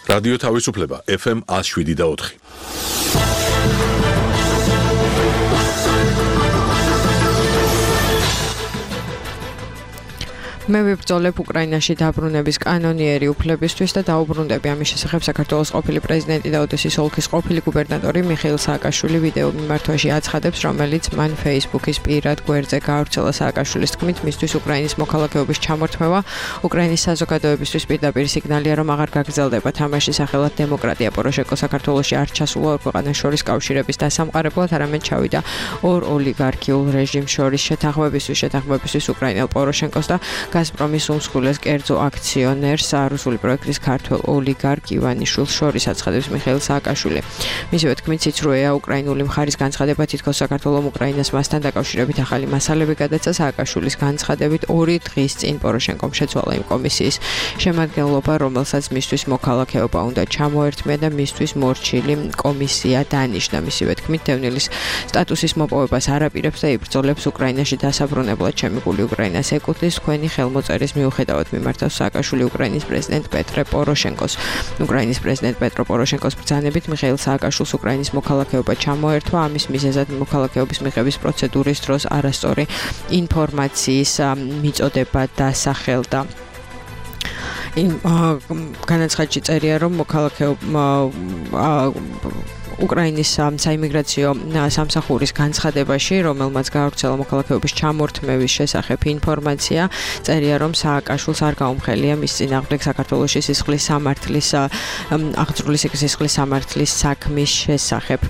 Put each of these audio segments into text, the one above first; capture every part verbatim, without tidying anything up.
რადიო თავისუფლება ეფ ემ one oh seven და four. მე ვიბრძოლებ უკრაინაში დაბრუნების კანონიერი უფლებისთვის და დაუბრუნდები ამის შესახებ საქართველოს ყოფილი პრეზიდენტი და ოდესის ოლქის ყოფილი გუბერნატორი მიხეილ სააკაშვილი ვიდეო მიმართვაში აცხადებს, რომელიც მან Facebook-ის პირად გვერდზე გაავრცელა. სააკაშვილის თქმით, მისთვის უკრაინის მოქალაქეობის ჩამორთმევა უკრაინის საზოგადოებისთვის პირდაპირ სიგნალია, რომ აღარ გაგრძელდება თამაშის სახელად დემოკრატია. პოროშენკო საქართველოში არ ჩასულა ორ ქვეყანას შორის კავშირების დასამყარებლად, არამედ ჩავიდა ორ ოლიგარქიულ რეჟიმს შორის შეთანხმებისთვის, შეთანხმებისთვის უკრაინელ პოროშენკოს და გაზპრომის უმსხვილეს კერძო აქციონერს რუსული პროექტის ქართველ ოლიგარქ ივანიშვილს შორის, აცხადებს მიხეილ სააკაშვილი. მისივე თქმით, სიცრუეა უკრაინული მხარის განცხადება, თითქოს საქართველოს უკრაინას მასთან დაკავშირებით ახალი მასალები გადაცა. სააკაშვილის განცხადებით, ორი დღის წინ პოროშენკომ შეცვალა იმ კომისიის შემადგენლობა, რომელსაც მისთვის მოქალაქეობა უნდა ჩამოერთმია და მისთვის მორჩილი კომისია დანიშნა. მისივე თქმით, დევნილის სტატუსის მოპოვებას არ აპირებს და იბრძოლებს უკრაინაში დასაბრუნებლად. ჩემი გული უკრაინას ეკუთვნის, თქვენი ხელმოწერის მიუხედავად მიმართავს სააკაშვილი უკრაინის პრეზიდენტ პეტრე პოროშენკოს. უკრაინის პრეზიდენტ პეტრო პოროშენკოს ბრძანებით მიხეილ სააკაშვილს უკრაინის მოქალაქეობა ჩამოერთვა. ამის მიზეზად მოქალაქეობის მიღების პროცედურის დროს არასწორი ინფორმაციის მიწოდება დასახელდა. იმ განაცხადში წერია, რომ მოქალაქეობა უკრაინის საიმიგრაციო სამსახურის განცხადებაში, რომელმაც გაავრცელა მოქალაქეობის ჩამორთმევის შესახებ ინფორმაცია, წერია, რომ სააკაშვილს არ გაუმხელია მის წინააღმდეგ საქართველოში სისხლის სამართლის აღძრული სისხლის სამართლის საქმის შესახებ.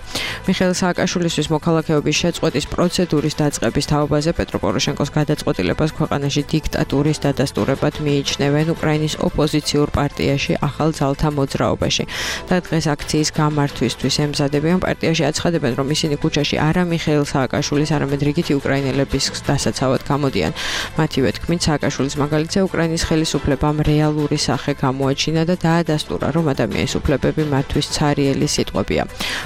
მიხეილ სააკაშვილისთვის მოქალაქეობის შეწყვეტის პროცედურის დაწყების თაობაზე პეტრო პოროშენკოს გადაწყვეტილებას ქვეყანაში დიქტატურის დადასტურებად მიიჩნევენ უკრაინის ოპოზიციურ პარტიაში ახალ ძალთა მოძრაობაში. და დღეს აქციის გამართვისთვის ემზადებიან. პარტიაში აცხადებენ, რომ ისინი ქუჩაში არა მიხეილ სააკაშვილის, არამედ რიგითი უკრაინელების დასაცავად გამოდიან. მათივე თქმით, სააკაშვილის მაგალითზე უკრაინის ხელისუფლებამ რეალური სახე გამოაჩინა და დაადასტურა, რომ ადამიანის უფლებები მათთვის ცარიელი სიტყვებია.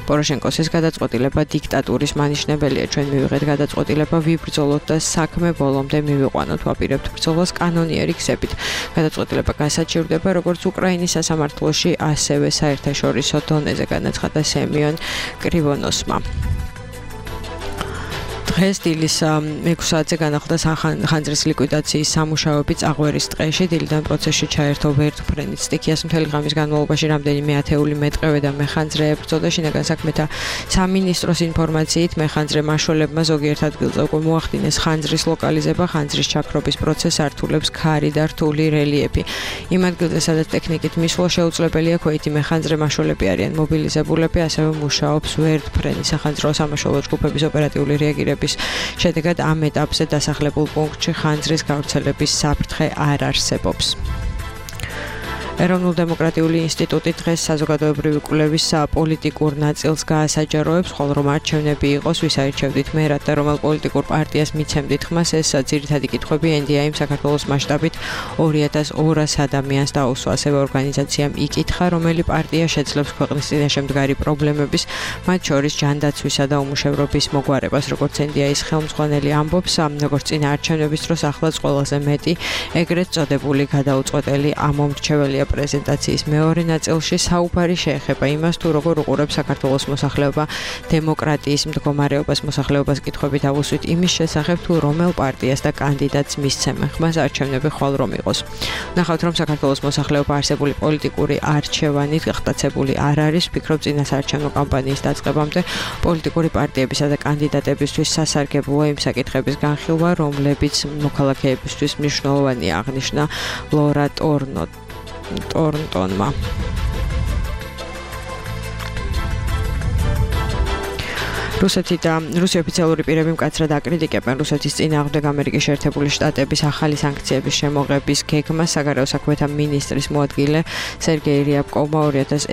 პოროშენკოს ეს გადაწყვეტილება დიქტატურის მანიშნებელია. ჩვენ მივიღეთ გადაწყვეტილება, ვიბრძოლოთ და საქმე ბოლომდე მივიყვანოთ, ვაპირებთ ბრძოლას კანონიერი გზებით. გადაწყვეტილება გასაჩივრდება როგორც უკრაინის სასამართლოში, ასევე საერთაშორისო დონეზე, განაცხადა სემიონ კრივონოსმა. დღეს დილის ექვსი საათზე განახლდა ხანძრის ლიკვიდაციის სამუშაოები წაღვერის ტყეში. დილიდან პროცესში ჩაერთო ვერტმფრენის სტიქიას. მთელი ღამის განმავლობაში რამდენიმე ათეული მეტყევე და მეხანძრე ებრძოდა. შინაგან საქმეთა სამინისტროს ინფორმაციით, მეხანძრე მაშველებმა ზოგიერთ ადგილზე უკვე მოახდინეს ხანძრის ლოკალიზება. ხანძრის ჩაქრობის პროცესს ართულებს ქარი და რთული რელიეფი. იმ ადგილზე, სადაც ტექნიკით მისვლა შეუძლებელია, ქვეითი მეხანძრე მაშველები არიან მობილიზებულები, ასევე მუშაობს ვერტმფრენის სახანძრო სამაშველო ჯგუფების ოპერატიული რეაგირება. შედეგად ამ ეტაპზე დასახლებულ პუნქტში ხანძრის გავრცელების საფრთხე არ არსებობს. ეროვნულ-დემოკრატიული ინსტიტუტი დღეს საზოგადოებრივი კვლევის პოლიტიკურ ნაწილს გაასაჯაროებს, ხოლო რომ არჩევნები იყოს, ვის აირჩევდით მერად და რომელ პოლიტიკურ პარტიას მიცემდით ხმას, ეს ძირითადი კითხვები ენ დი აიმ საქართველოს მასშტაბით ორი ათას ორას ადამიანს დაუსვა. ასევე ორგანიზაციამ იკითხა, რომელი პარტია შეძლებს ქვეყნის წინაშე მდგარი პრობლემების, მათ შორის ჯანდაცვისა და უმუშევრობის მოგვარებას. როგორც ენ დი აის ხელმძღვანელი ამბობს, როგორც წინა არჩევნების დროს ახლაც ყველაზე მეტი ეგრეთ წოდებული გადაუწყვეტელი ამომრჩეველია. პრეზენტაციის მეორე ნაწილში საუბარი შეეხება იმას, თუ როგორ უყურებს საქართველოს მოსახლეობა დემოკრატიის მდგომარეობას. მოსახლეობას კითხვები დავუსვით იმის შესახებ, თუ რომელ პარტიას და კანდიდატს მისცემენ ხმას არჩევნები ხვალ რომ იყოს. ნახავთ, რომ საქართველოს მოსახლეობა არსებული პოლიტიკური არჩევანით გახტაცებული არ არის. ვფიქრობ, წინასაარჩევნო კამპანიის დაწყებამდე პოლიტიკური პარტიებისა და კანდიდატებისთვის სასარგებლოა იმ საკითხების განხილვა, რომლებიც მოქალაქეებისთვის მნიშვნელოვანია, აღნიშნა ლორა ტორნო ტორნტონმა. რუსეთი და რუსი ოფიციალური პირები მკაცრად აკრიტიკებენ რუსეთის წინააღმდეგ ამერიკის შეერთებული შტატების ახალი სანქციების შემოღების გეგმას. საგარეო საქმეთა მინისტრის მოადგილე სერგეი რიაბკოვმა ორი ათას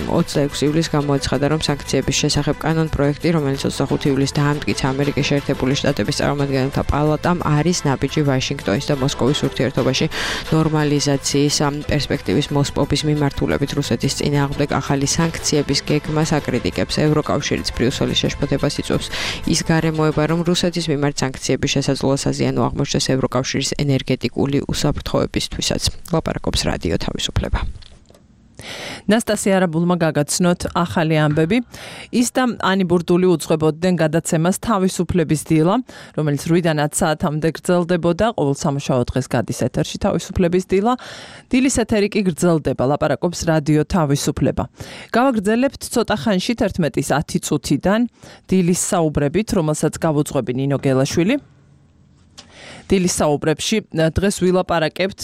ოცდაექვსი ივლისს გამოაცხადა, რომ სანქციების შესახებ კანონპროექტი, რომელიც ოცდახუთი ივლისს დაამტკიცა ამერიკის შეერთებული შტატების წარმომადგენელთა პალატამ, არის ნაბიჯი ვაშინგტონის და მოსკოვის ურთიერთობაში ნორმალიზაციის პერსპექტივის მოსპობის მიმართულებით. რუსეთის წინააღმდეგ ახალი სანქციების გეგმას აკრიტიკებს ევროკავშირიც. ბრიუსელის შეშფოთებას იწვევს ის გარემოება, რომ რუსეთის მიმართ სანქციების შესაძლოა საზიანო აღმოჩნდეს ევროკავშირის ენერგეტიკული უსაფრთხოებისთვისაც. ლაპარაკობს რადიო თავისუფლება. ნასტასია არაბულმა გაგაცნოთ ახალი ამბები. ის და ანი ბურდული უძღვებოდნენ გადაცემას თავისუფლების დილა, რომელიც რვიდან ათ საათამდე გრძელდებოდა. ყოველ სამუშაო დღეს გადის ეთერში თავისუფლების დილა. დილის ეთერი კი გრძელდება, ლაპარაკობს რადიო თავისუფლება. გავაგრძელებთ ცოტა ხანში თერთმეტის ათი წუთიდან დილის საუბრებით, რომელსაც გავუძღვები ნინო გელაშვილი. დილის საუბრებში დღეს ვილაპარაკებთ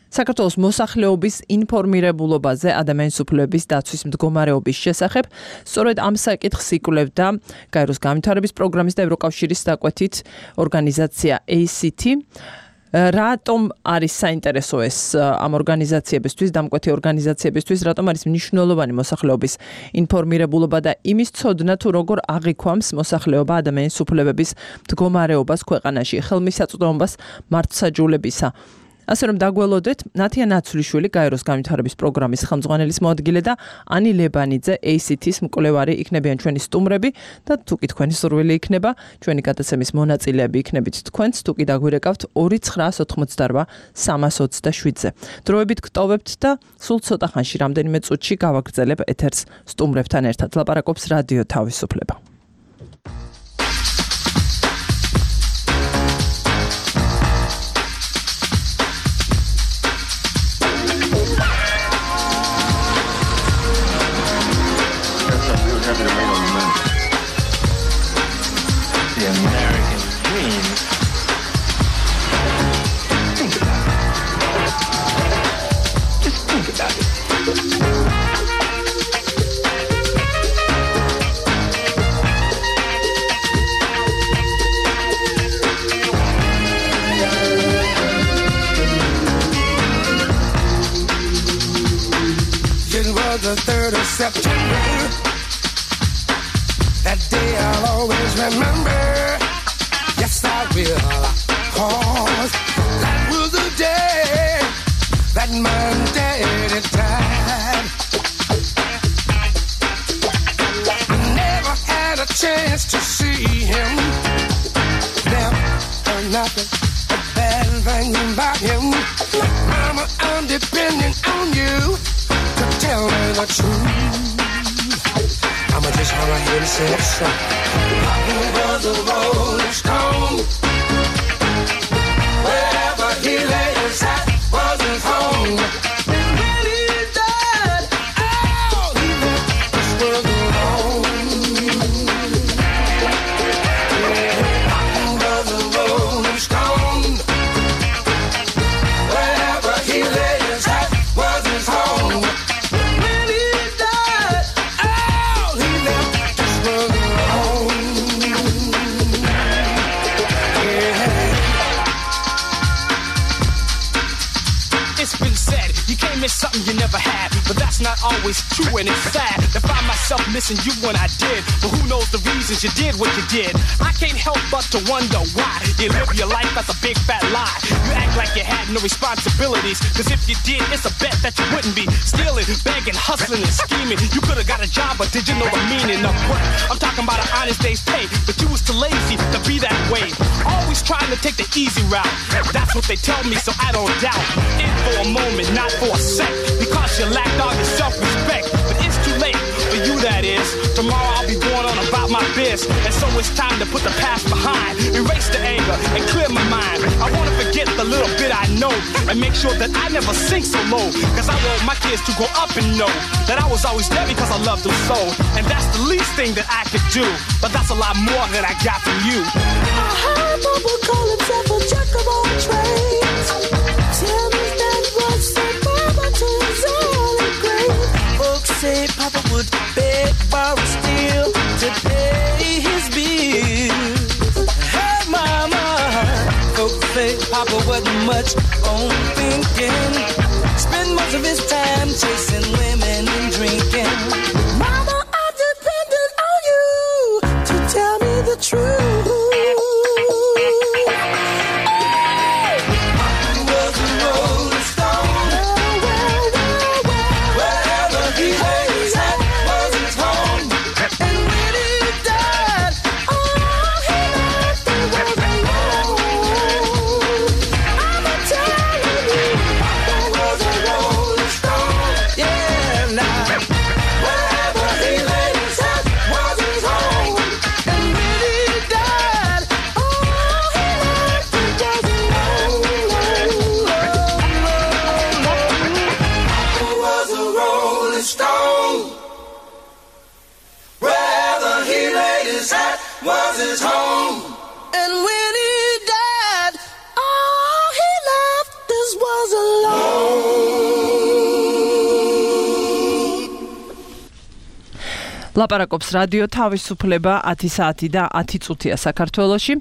საქართველოს მოსახლეობის ინფორმირებულობაზე ადამიანის უფლებების დაცვის მდგომარეობის შესახებ. სწორედ ამ საკითხს იკვლევდა გაეროს განვითარების პროგრამის და ევროკავშირის დაკვეთით ორგანიზაცია ეი სი τι. რატომ არის საინტერესო ეს ამ ორგანიზაციებისთვის, დამკვეთი ორგანიზაციებისთვის, რატომ არის მნიშვნელოვანი მოსახლეობის ინფორმირებულობა და იმის ცოდნა თუ როგორ აღიქვამს მოსახლეობა ადამიანის უფლებების მდგომარეობას ქვეყანაში, ხელმისაწვდომობას მართლმსაჯულებისა. ასე რომ დაგველოდეთ, ნათია ნაცვლიშვილი გაეროს განვითარების პროგრამის ხელმძღვანელის მოადგილე და ანი ლებანიძე ეი სი თის მკვლევარი იქნებიან ჩვენი სტუმრები და თუ კი თქვენი სურვილი იქნება, ჩვენი გადაცემის მონაწილეები იქნებით თქვენც, თუ კი დაგვირეკავთ ორი ცხრაას ოთხმოცდარვა სამას ოცდაშვიდზე. დროებით გტოვებთ და სულ ცოტა ხანში რამდენიმე წუთში გავაგრძელებ ეთერს სტუმრებთან ერთად. ლაპარაკობს რადიო თავისუფლება. The third of September, that day I'll always remember. Yes, I will, cause that was the day that my daddy died. I never had a chance to see him, never heard nothing but bad things about him. Mama, I'm depending on you to tell me the truth. I'ma just hang right here and sing a song. Papa was a rolling stone. Wherever he lay his hat was his home. And when he died, oh, he left this world alone. Yeah, Papa was a rolling stone. Wherever he lay his hat was his home. It's something you never had, but that's not always true, and it's sad to find myself missing you when I did. But who knows the reasons you did what you did? I can't help but to wonder why you live your life as a big fat lie. You act like you had no responsibilities, cause if you did, it's a bet that you wouldn't be stealing, begging, hustling, and scheming. You could have got a job, but did you know the meaning of work? I'm talking about an honest day's pay, but you was too lazy to be that way. Always trying to take the easy route. That's what they tell me, so I don't doubt. In for a moment, not for a sec, because you lacked all your self-respect. But it's too late for you, that is. Tomorrow I'll be going on about my biz, and so it's time to put the past behind, erase the anger and clear my mind. I want to forget the little bit I know and make sure that I never sink so low, cause I want my kids to grow up and know that I was always there because I loved them so. And that's the least thing that I could do, but that's a lot more than I got from you. I heard Papa call himself a jack of all trades. Tell me that was so Papa to his early grave. Folks say Papa would beg, borrow, steal to pay his bills. Hey Mama, folks say Papa wasn't much on thinking. Spend most of his time chasing women and drinking. Mama, I depended on you to tell me the truth. Yeah. his home. And when he died, all he left us was alone. ლაპარაკობს რადიო თავისუფლება ათი საათი და ათი წუთია საქართველოში.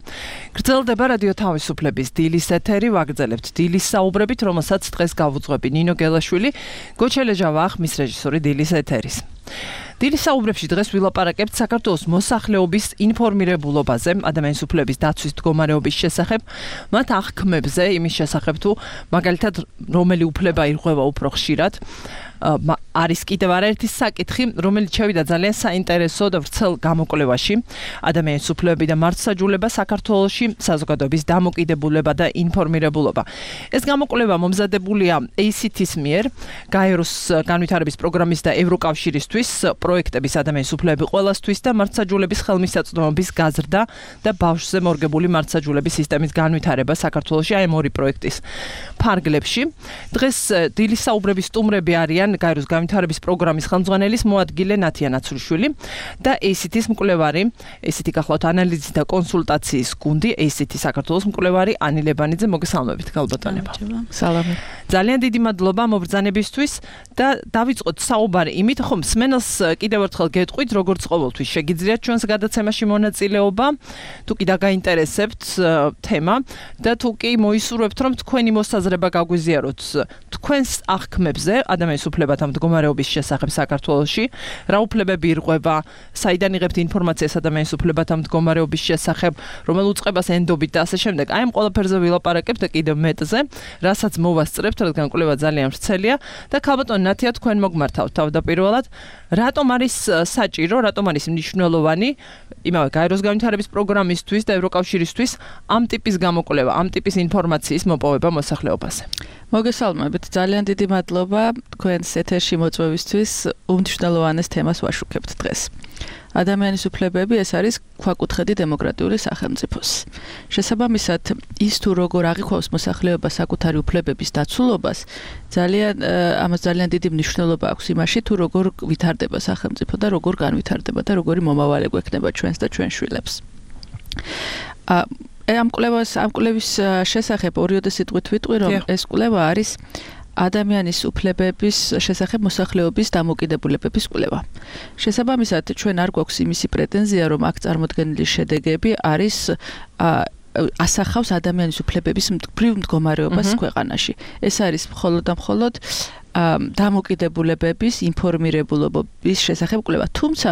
გრძელდება რადიო თავისუფლების დილის ეთერი, ვაგრძელებთ დილის საუბრებით, რომელსაც დღეს გავუძღვები ნინო გელაშვილი, გოჩელეჟავა ახმის რეჟისორი დილის ეთერის. დილის საუბრებში დღეს ვილაპარაკებთ საქართველოს მოსახლეობის ინფორმირებულობაზე, ადამიანის უფლების დაცვის მდგომარეობის შესახებ, მათ აღქმებზე, იმის შესახებ თუ მაგალითად რომელი უფლება ირღვევა უფრო ხშირად. არის კიდევ არაერთი საკითხი, რომელიც შევიდა ძალიან საინტერესო და ვრცელ გამოკვლევაში. ადამიანის უფლებები და მართლმსაჯულება საქართველოში, საზოგადოების დამოკიდებულება და ინფორმირებულობა. ეს გამოკვლევა მომზადებულია ეი სი თის მიერ, გაეროს განვითარების პროგრამის და ევროკავშირისთვის პროექტების ადამიანის უფლებები ყველასთვის და მართლმსაჯულების ხელმისაწვდომობის გაზრდა და ბავშვზე მორგებული მართლმსაჯულების სისტემის განვითარება საქართველოში, აი ამ ორი პროექტის ფარგლებში. დღეს დილის საუბრების სტუმრები არიან გაეროს განვითარების პროგრამის ხელმძღვანელის მოადგილე ნათია ნაცულიშვილი და ეი სი თის მკვლევარი, ეი სი თი გახლავთ ანალიზის და კონსულტაციის გუნდი, ეი სი თი საქართველოს მკვლევარი ანი ლებანიძე, მოგესალმებით, გალბატონებო. სალამი. ძალიან დიდი მადლობა მობრძანებისთვის და დავიწყოთ საუბარი იმით, ხომ მსმენელს კიდევ ერთხელ გეტყვით, როგორც ყოველთვის შეგიძლიათ ჩვენს გადაცემაში მონაწილეობა, თუ კი დაგაინტერესებთ თემა და თუ კი მოისურვებთ, რომ თქვენი მოსაზრება გაგვიზიაროთ თქვენს აღქმებზე, ადამიანის უფლებათა მდგომარეობის შესახებ საქართველოში, რა უფლებები ირღვევა, საიდან იღებთ ინფორმაციას ადამიანის უფლებათა მდგომარეობის შესახებ, რომელ უწყებას ენდობით და ასე შემდეგ. აი ამ ყველაფერზე ვილაპარაკებთ და კიდევ მეტზე, რასაც მოვასწრებთ, რადგან კვლევა ძალიან ვრცელია და ქალბატონ ნათია თქვენ მოგმართავთ თავდაპირველად, რატომ არის საჭირო, რატომ არის მნიშვნელოვანი იმავე გაეროს განვითარების პროგრამისთვის და ევროკავშირისთვის ამ ტიპის გამოკვლევა, ამ ტიპის ინფორმაციის მოპოვება მოსახლეობაზე. მოგესალმებით, ძალიან დიდი მადლობა თქვენს ეთერში მოწვევისთვის, უმნიშვნელოვანეს თემას ვაშუქებთ დღეს. ადამიანის უფლებები ეს არის ქვაკუთხედი დემოკრატიული სახელმწიფოს. შესაბამისად, ის თუ როგორ აღიქვავს მოსახლეობა საკუთარი უფლებების დაცულობას, ძალიან ამას ძალიან დიდი მნიშვნელობა აქვს იმაში, თუ როგორ ვითარდება სახელმწიფო და როგორ განვითარდება და როგორი მომავალი გვექნება ჩვენს და ჩვენ შვილებს. ამ კვლევას, ამ კვლევის შესახებ ორიოდე სიტყვით ვიტყვი, რომ ეს კვლევა არის ადამიანის უფლებების შესახებ მოსახლეობის დამოკიდებულებების კვლევა. შესაბამისად, ჩვენ არ გვაქვს იმისი პრეტენზია, რომ აქ წარმოდგენილი შედეგები არის ასახავს ადამიანის უფლებების მდგრივ მდგომარეობას ქვეყანაში. ეს არის მხოლოდ და მხოლოდ დამოკიდებულებების ინფორმირებულობის შესახებ კვლევა. თუმცა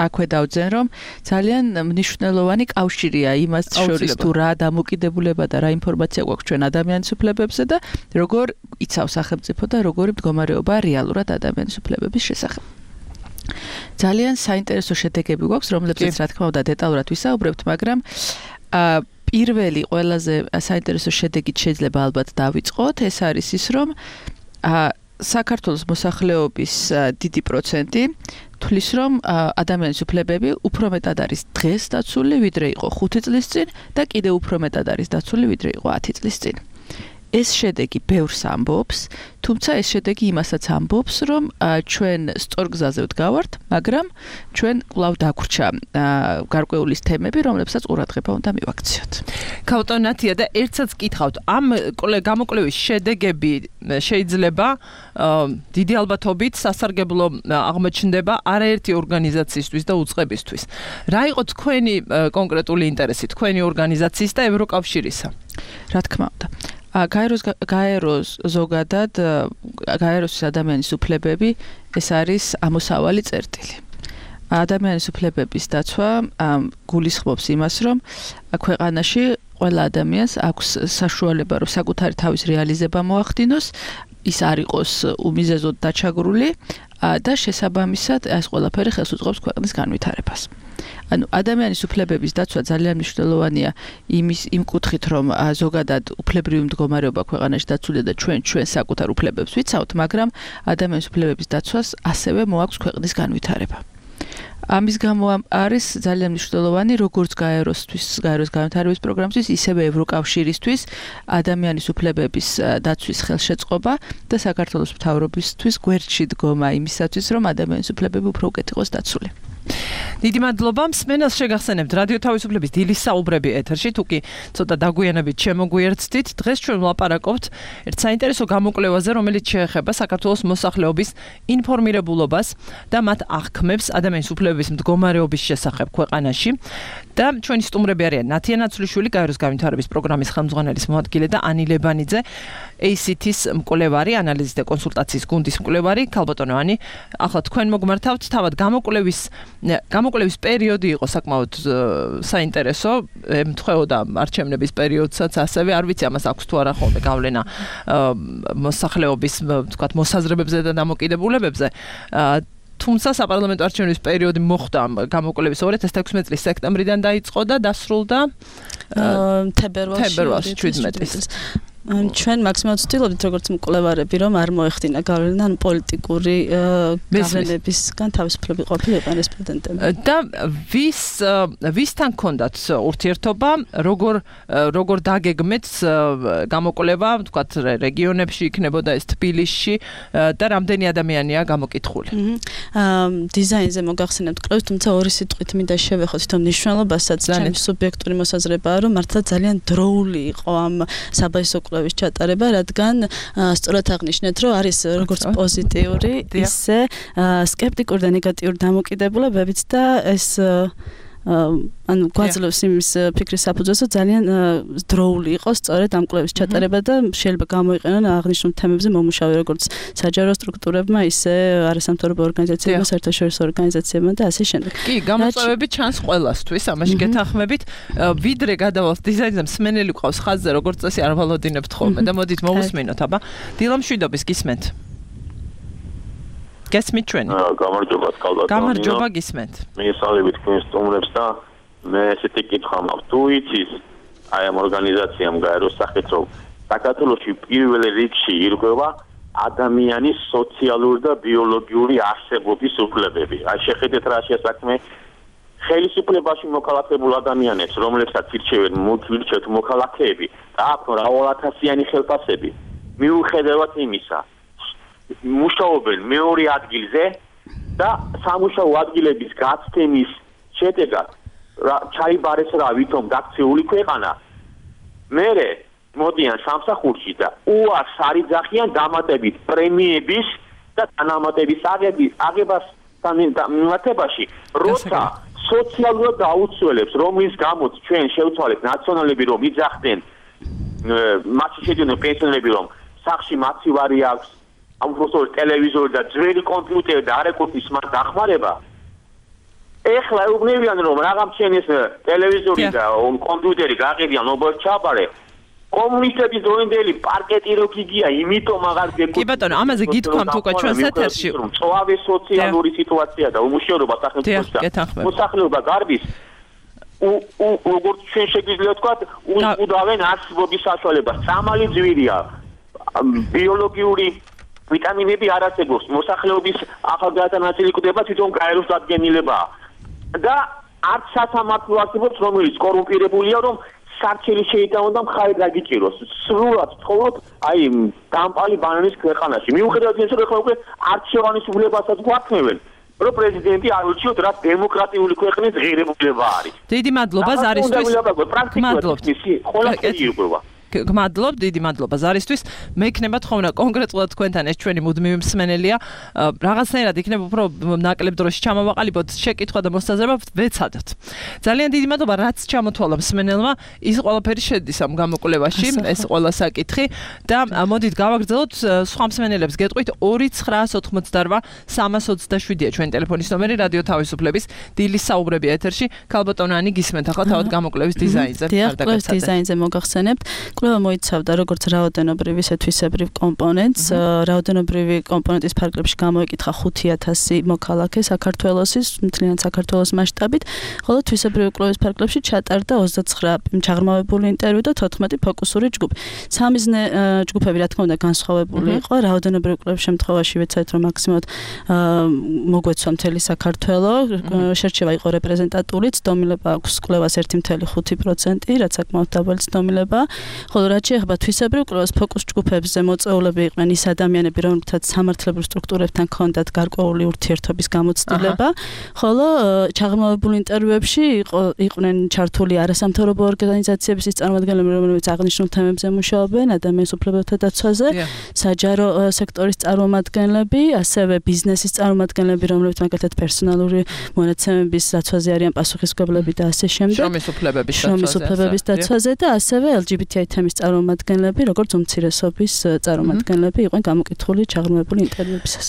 აქვე დავძენ, რომ ძალიან მნიშვნელოვანი კავშირია იმას შორის, თუ რა დამოკიდებულება და რა ინფორმაცია გვაქვს ჩვენ ადამიანის უფლებებზე და როგორ იცავს სახელმწიფო და როგორი მდგომარეობა რეალურად ადამიანის უფლებების შესახებ. ძალიან საინტერესო შედეგები გვაქვს, რომლებზეც რა თქმა უნდა დეტალურად ვისაუბრებთ, მაგრამ პირველი ყველაზე საინტერესო შედეგით შეიძლება ალბათ დავიწყოთ, ეს არის ის, რომ საქართველოს მოსახლეობის დიდი პროცენტი თვლის, რომ ადამიანის უფლებები უფრო მეტად არის დღეს დაცული, ვიდრე იყო ხუთი წლის წინ და კიდევ უფრო მეტად არის დაცული, ვიდრე იყო ათი წლის წინ. ეს შედეგი ბევრს ამბობს, თუმცა ეს შედეგი იმასაც ამბობს, რომ ჩვენ სწორ გზაზე ვდგავართ, მაგრამ ჩვენ კვლავ დაგვრჩა გარკვეულის თემები, რომლებსაც ყურადღება უნდა მივაქციოთ. ქალბატონ ნათია, და ერთსაც კითხავთ, ამ გამოკვლევის შედეგები შეიძლება დიდი ალბათობით სასარგებლო აღმოჩნდება არაერთი ორგანიზაციისთვის და უწყებისთვის. რა იყო თქვენი კონკრეტული ინტერესი, თქვენი ორგანიზაციის და ევროკავშირისა? რა თქმა უნდა. გაეროს გაეროს ზოგადად გაეროს ადამიანის უფლებები ეს არის ამოსავალი წერტილი. ადამიანის უფლებების დაცვა გულისხმობს იმას, რომ ქვეყანაში ყველა ადამიანს აქვს საშუალება, რომ საკუთარი თავის რეალიზება მოახდინოს, ის არ იყოს უმიზეზოდ დაჩაგრული და შესაბამისად ეს ყველაფერი ხელს უწყობს ქვეყნის განვითარებას. ანუ ადამიანის უფლებების დაცვა ძალიან მნიშვნელოვანია იმის იმ კუთხით, რომ ზოგადად უფლებრივი მდგომარეობა ქვეყანაში დაცულია და ჩვენ ჩვენ საკუთარ უფლებებს ვიცავთ, მაგრამ ადამიანის უფლებების დაცვას ასევე მოაქვს ქვეყნის განვითარება. ამის გამო არის ძალიან მნიშვნელოვანი როგორც გაეროსთვის, გაეროს განვითარების პროგრამისთვის, ისევე ევროკავშირისთვის ადამიანის უფლებების დაცვის ხელშეწყობა და საქართველოს მთავრობისთვის გვერდში დგომა იმისათვის, რომ ადამიანის უფლებები უფრო უკეთ იყოს დაცული. დიდი მადლობა მსმენელს შეგახსენებთ რადიო თავისუფლების დილის საუბრები ეთერში თუ კი ცოტა დაგვიანებით შემოგვიერთდით დღეს ჩვენ ვლაპარაკობთ ერთ საინტერესო გამოკვლევაზე რომელიც შეეხება საქართველოს მოსახლეობის ინფორმირებულობას და მათ აღქმებს ადამიანის უფლებების მდგომარეობის შესახებ ქვეყანაში და ჩვენი სტუმრები არიან ნათია ნაცვლიშვილი გაეროს განვითარების პროგრამის ხელმძღვანელის მოადგილე და ანი ლებანიძე ეი სი თის მკვლევარი ანალიზის და კონსულტაციის გუნდის მკვლევარი ქალბატონო ანი ახლა თქვენ მოგმართავთ თავად გამოკვლევის გამოკვლევის პერიოდი იყო საკმაოდ საინტერესო ემთხვეოდა არჩევნების პერიოდსაც ასევე არ ვიცი ამას აქვს თუ არა ხოლმე გავლენა მოსახლეობის თქვათ მოსაზრებებზე და დამოკიდებულებებზე თუმცა საპარლამენტო არჩევნების პერიოდი მოხდა გამოკვლევის ორი ათას თექვსმეტი წლის სექტემბრიდან დაიწყო და დასრულდა თებერვალში შვიდმეტი წლის ჩვენ მაქსიმალურად ვცდილობთ როგორც მკვლევარები რომ არ მოეხდინა გავლენა ან პოლიტიკური გავლენებისგან თავისუფლები ყოფილიყო რესპონდენტები და ვის ვისთან კონდათ ურთიერთობა როგორ როგორ დაგეგმეთ გამოკვლევა თქვათ რეგიონებში იქნებოდა ეს თბილისში და რამდენი ადამიანია გამოკითხული დიზაინზე მოგახსენებთ კვლევას თუმცა ორი სიტყვით მინდა შევეხოთ თვითონ მნიშვნელობასაც ჩემი სუბიექტური მოსაზრებაა რომ მართლა ძალიან დროული იყო ამ საბაისო კვლევის ჩატარება, რადგან სწორად აღნიშნეთ, რომ არის როგორც პოზიტიური, ისე სკეპტიკური და ნეგატიური დამოკიდებულებებიც და ეს ანუ გვაძლევს იმის ფიქრის საფუძველს, რომ ძალიან დროული იყო სწორედ ამ კვლევის ჩატარება და შეიძლება გამოიყენონ აღნიშნულ თემებზე მომუშავე როგორც საჯარო სტრუქტურებმა, ისე არასამთავრობო ორგანიზაციებმა, საერთაშორისო ორგანიზაციებმა და ასე შემდეგ. კი, გამოწვევები ჩანს ყველასთვის, ამაში გეთანხმებით. ვიდრე გადავალთ დიზაინზე, მსმენელი ყავს ხაზზე, როგორც წესი არ ვალოდინებთ ხოლმე და მოდით მოვუსმინოთ, აბა. დილა მშვიდობის გისმენთ. გესმით ჩვენი? გამარჯობა კალბატონო. გამარჯობა გისმენთ. მიგესალმებით თქვენს სტუმრებს და მე ესეთი კითხვა მაქვს. თუ იცის აი ამ ორგანიზაციამ გაეროს სახით რომ საქართველოში პირველ რიგში ირღვევა ადამიანის სოციალური და ბიოლოგიური არსებობის უფლებები. აი შეხედეთ რა შეასაქმე ხელისუფლებაში მოქალაქებულ ადამიანებს, რომლებსაც ირჩევენ მუქირჩეთ მოქალაქეები და აქვს მრავალათასიანი ხელფასები. მიუხედავად იმისა მუშაობენ მეორე ადგილზე და სამუშაო ადგილების გაცემის შედეგად ჩაიბარეს რა ვითომ გაქცეული ქვეყანა მერე მოდიან სამსახურში და უარს არიძახიან დამატებით პრემიების და თანამატების აღებას დამატებაში როცა სოციალურად დაუცველებს რომლის გამოც ჩვენ შევცვალეთ ნაციონალები რომ იძახდნენ მასში შედიოდნენ პენსიონერები რომ სახში მაცივარი აქვს ამ უბრალოდ ტელევიზორი და ძველი კომპიუტერი და არეკურსის მათ დახმარება ეხლა ეუბნებიან რომ რაღაც ჩვენეს ტელევიზორი და კომპიუტერი გაყიდიან ნობელ ჩაბარე კომუნისტების დროინდელი პარკეტი რო გიგია იმიტომ აღარ გეკუთვნით კი ბატონო ამაზე გითქვამთ უკვე ჩვენს ეთერში წვავე სოციალური სიტუაცია და უმუშევრობა სახელმწიფოში და მოსახლეობა გარბის ու როგორც ჩვენ შეგვიძლია თქვა უდავენ არსებობის საშუალებას სამალი ძვირია ბიოლოგიური ვიტამინები არ არსებობს მოსახლეობის ახალგაზრდა კვდება თვითონ გაეროს დადგენილებაა და არც სასამართლო არსებობს რომელიც კორუმპირებულია რომ სარჩელი შეიტანონ და მხარი დაგიჭიროს სრულად თხოვოთ აი დამპალი ბანანის ქვეყანაში მიუხედავად იმისა რომ ეხლა უკვე არჩევანის უფლებასაც გვაქმნებენ რომ პრეზიდენტი არ ურჩიოთ რა დემოკრატიული ქვეყნის ღირებულება არის დიდი მადლობა ზარისთვის მადლობთ ყველაფერი ირკვევა გმადლობ, დიდი მადლობა ზარისთვის. მე იქნება თხოვნა კონკრეტულად თქვენთან ეს ჩვენი მუდმივი მსმენელია. რაღაცნაირად იქნება უფრო ნაკლებ დროში ჩამოვაყალიბოთ შეკითხვა და მოსაზრება ვეცადოთ. ძალიან დიდი მადლობა რაც ჩამოთვალა მსმენელმა. ის ყველაფერი შედის ამ გამოკვლევაში, ეს ყველა საკითხი და მოდით გავაგრძელოთ სხვა მსმენელებს გეტყვით ორი ცხრაას ოთხმოცდარვა სამას ოცდაშვიდია ჩვენი ტელეფონის ნომერი რადიო თავისუფლების დილის საუბრები ეთერში. ქალბატონო ანი გისმენთ ახლა თავად გამოკვლევის დიზაინზე. დიახ, დიზაინზე მოგახსენებთ. კვლევა მოიცავდა როგორც რაოდენობრივ ისე თვისებრივ კომპონენტს. რაოდენობრივი კომპონენტის ფარგლებში გამოიკითხა ხუთი ათასი მოქალაქე საქართველოსის მთლიან საქართველოს მასშტაბით, ხოლო თვისებრივი კვლევის ფარგლებში ჩატარდა ოცდაცხრა ჩაღრმავებული ინტერვიუ და თოთხმეტი ფოკუსური ჯგუფი. სამიზნე ჯგუფები რა თქმა უნდა განსხვავებული იყო. რაოდენობრივი კვლევის შემთხვევაში ვეცადეთ რომ მაქსიმალურად მოგვეცვა მთელი საქართველო, შერჩევა იყო რეპრეზენტატული, ცდომილება აქვს კვლევას ერთი კoma ხუთი პროცენტი, რაც საკმაოდ დაბალი ცდომილებაა. ხოლო რაც შეეხება თვისებრივ კვლევას ფოკუს ჯგუფებზე მოწვეულები იყვნენ ის ადამიანები, რომლებთაც სამართლებრივ სტრუქტურებთან ჰქონდათ გარკვეული ურთიერთობის გამოცდილება, ხოლო ჩაღრმავებულ ინტერვიუებში იყვნენ ჩართული არასამთავრობო ორგანიზაციების წარმომადგენლები, რომლებიც აღნიშნულ თემებზე მუშაობენ, ადამიანის უფლებათა დაცვაზე, საჯარო სექტორის წარმომადგენლები, ასევე ბიზნესის წარმომადგენლები, რომლებიც მაგალითად პერსონალური მონაცემების დაცვაზე არიან პასუხისმგებლები და ასე შემდეგ. შრომის უფლებების დაცვაზე. შრომის უფლებების დაცვაზე და ასევე ელ ჯი ბი თი აი თემის წარმომადგენლები, როგორც უმცირესობის წარმომადგენლები იყვნენ გამოკითხული ჩაღრმავებული ინტერვიუებისას.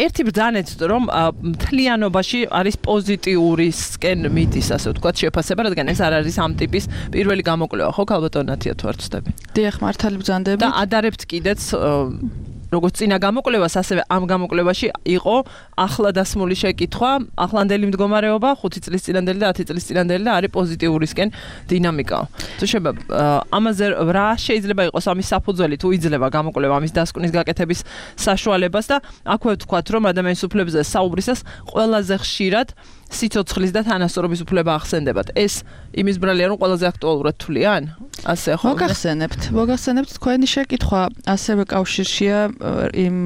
ერთი ბრძანეთ, რომ მთლიანობაში არის პოზიტიურისკენ მიდის, ასე ვთქვათ, შეფასება, რადგან ეს არ არის ამ ტიპის პირველი გამოკვლევა, ხო, ქალბატონ ნათია, თუ არ ვცდები. დიახ, მართალი ბრძანდებით. და ადარებთ კიდეც როგორც წინა გამოკვლევას, ასევე ამ გამოკვლევაში იყო ახლა დასმული შეკითხვა, ახლანდელი მდგომარეობა, ხუთი წლის წინანდელი და ათი წლის წინანდელი და არის პოზიტიურისკენ დინამიკა. თუ შეიძლება ამაზე რა შეიძლება იყოს ამის საფუძველი, თუ იძლევა გამოკვლევა ამის დასკვნის გაკეთების საშუალებას და აქვე ვთქვათ, რომ ადამიანის უფლებებზე საუბრისას ყველაზე ხშირად სიცოცხლის და თანასწორობის უფლება ახსენდებათ. ეს იმის ბრალია, რომ ყველაზე აქტუალურად თვლიან? ასე ხო? მოგახსენებთ, მოგახსენებთ თქვენი შეკითხვა ასევე კავშირშია იმ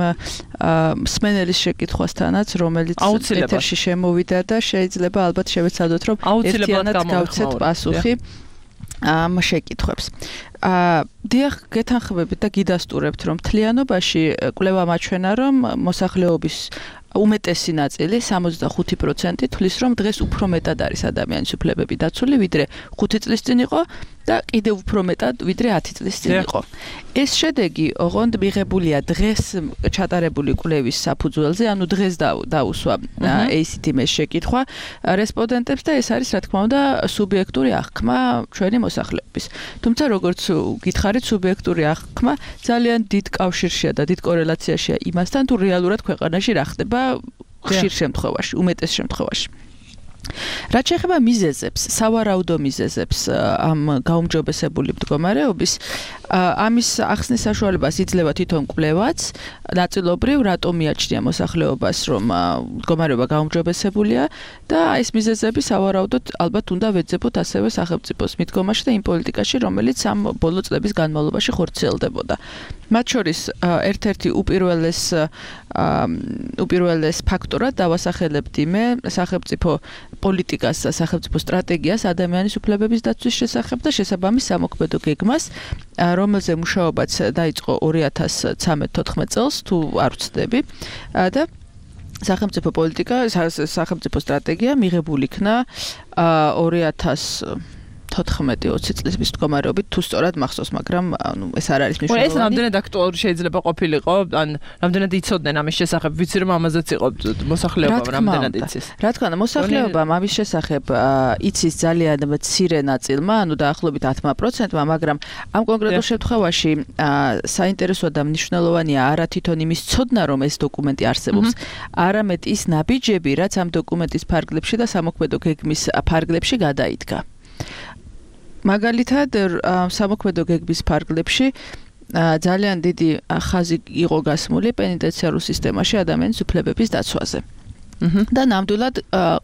მსმენელის შეკითხვასთანაც, რომელიც ეთერში შემოვიდა და შეიძლება ალბათ შევეცადოთ, რომ ერთიანად გავცეთ პასუხი ამ შეკითხვებს. აა დიახ, გეთანხმებით და გიდასტურებთ, რომ მთლიანობაში კვლევა მაჩვენა, რომ მოსახლეობის უმეტესი ნაწილი სამოცდახუთი პროცენტი თვლის, რომ დღეს უფრო მეტად არის ადამიანის უფლებები დაცული, ვიდრე ხუთი წლის წინ იყო და კიდევ უფრო მეტად, ვიდრე ათი წლის წინ იყო. ეს შედეგი ოღონდ მიღებულია დღეს ჩატარებული კვლევის საფუძველზე, ანუ დღეს დაუსვა ეი სი თი ემ-ის შეკითხვა რესპონდენტებს და ეს არის, რა თქმა უნდა, სუბიექტური აღქმა ჩვენი მოსახლეობის. თუმცა, როგორც გითხარით, სუბიექტური აღქმა ძალიან დიდ კავშირშია და დიდ კორელაციაშია იმასთან, თუ რეალურად ქვეყანაში რა ხდება ხშირ შემთხვევაში, უმეტეს შემთხვევაში. რაც შეეხება მიზეზებს, სავარაუდო მიზეზებს ამ გაუმჯობესებული მდგომარეობის, ამის ახსნის საშუალებას იძლევა თვითონ კვლევაც, ნაწილობრივ რატომ მიაჩნია მოსახლეობას, რომ მდგომარეობა გაუმჯობესებულია და ეს მიზეზები სავარაუდოდ ალბათ უნდა ვეძებოთ ასევე სახელმწიფოს მიდგომაში და იმ პოლიტიკაში, რომელიც ამ ბოლო წლების განმავლობაში ხორციელდებოდა. მათ შორის ერთ-ერთი უპირველეს უპირველეს ფაქტორად დავასახელებთ იმე სახელმწიფო პოლიტიკას და სახელმწიფო სტრატეგიას ადამიანის უფლებების დაცვის შესახებ და შესაბამის სამოქმედო გეგმას, რომელზე მუშაობაც დაიწყო ორი ათას ცხრამეტ-თოთხმეტ წელს, თუ არ ვცდები, და სახელმწიფო პოლიტიკა, სახელმწიფო სტრატეგია მიღებული იქნა ორი ათას თოთხმეტი ოცი წლის მდგომარეობით, თუ სწორად მახსოვს, მაგრამ ანუ ეს არ არის მნიშვნელოვანი. ეს რამდენად აქტუალური შეიძლება ყოფილიყო, ან რამდენად იცოდნენ ამის შესახებ, ვიცი რომ ამაზეც იყო მოსახლეობა რამდენად იცის. რა თქმა უნდა, მოსახლეობამ ამის შესახებ იცის ძალიან მცირე ნაწილმა, ანუ დაახლოებით ათმა პროცენტმა, მაგრამ ამ კონკრეტულ შემთხვევაში საინტერესო და მნიშვნელოვანია არა თვითონ იმის ცოდნა, რომ ეს დოკუმენტი არსებობს, არამედ ის ნაბიჯები, რაც ამ დოკუმენტის ფარგლებში და სამოქმედო გეგმის ფარგლებში გადაიდგა. მაგალითად, სამოქმედო გეგმის ფარგლებში ძალიან დიდი ხაზი იყო გასმული პენიტენციარულ სისტემაში ადამიანის უფლებების დაცვაზე. და ნამდვილად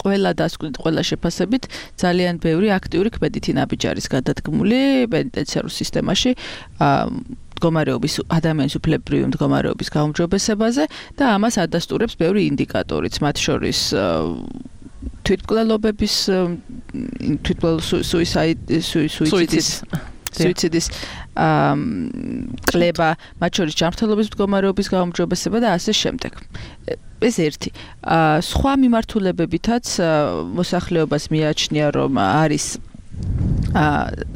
ყველა დასკვნით, ყველა შეფასებით ძალიან ბევრი აქტიური ქმედითი ნაბიჯი არის გადადგმული პენიტენციარულ სისტემაში მდგომარეობის ადამიანის უფლებრივი მდგომარეობის გაუმჯობესებაზე და ამას ადასტურებს ბევრი ინდიკატორიც, მათ შორის თვითმკვლელობების თვითმკვლელ სუიციდის სუიციდის კლება, მათ შორის ჯანმრთელობის მდგომარეობის გაუმჯობესება და ასე შემდეგ. ეს ერთი. სხვა მიმართულებებითაც მოსახლეობას მიაჩნია, რომ არის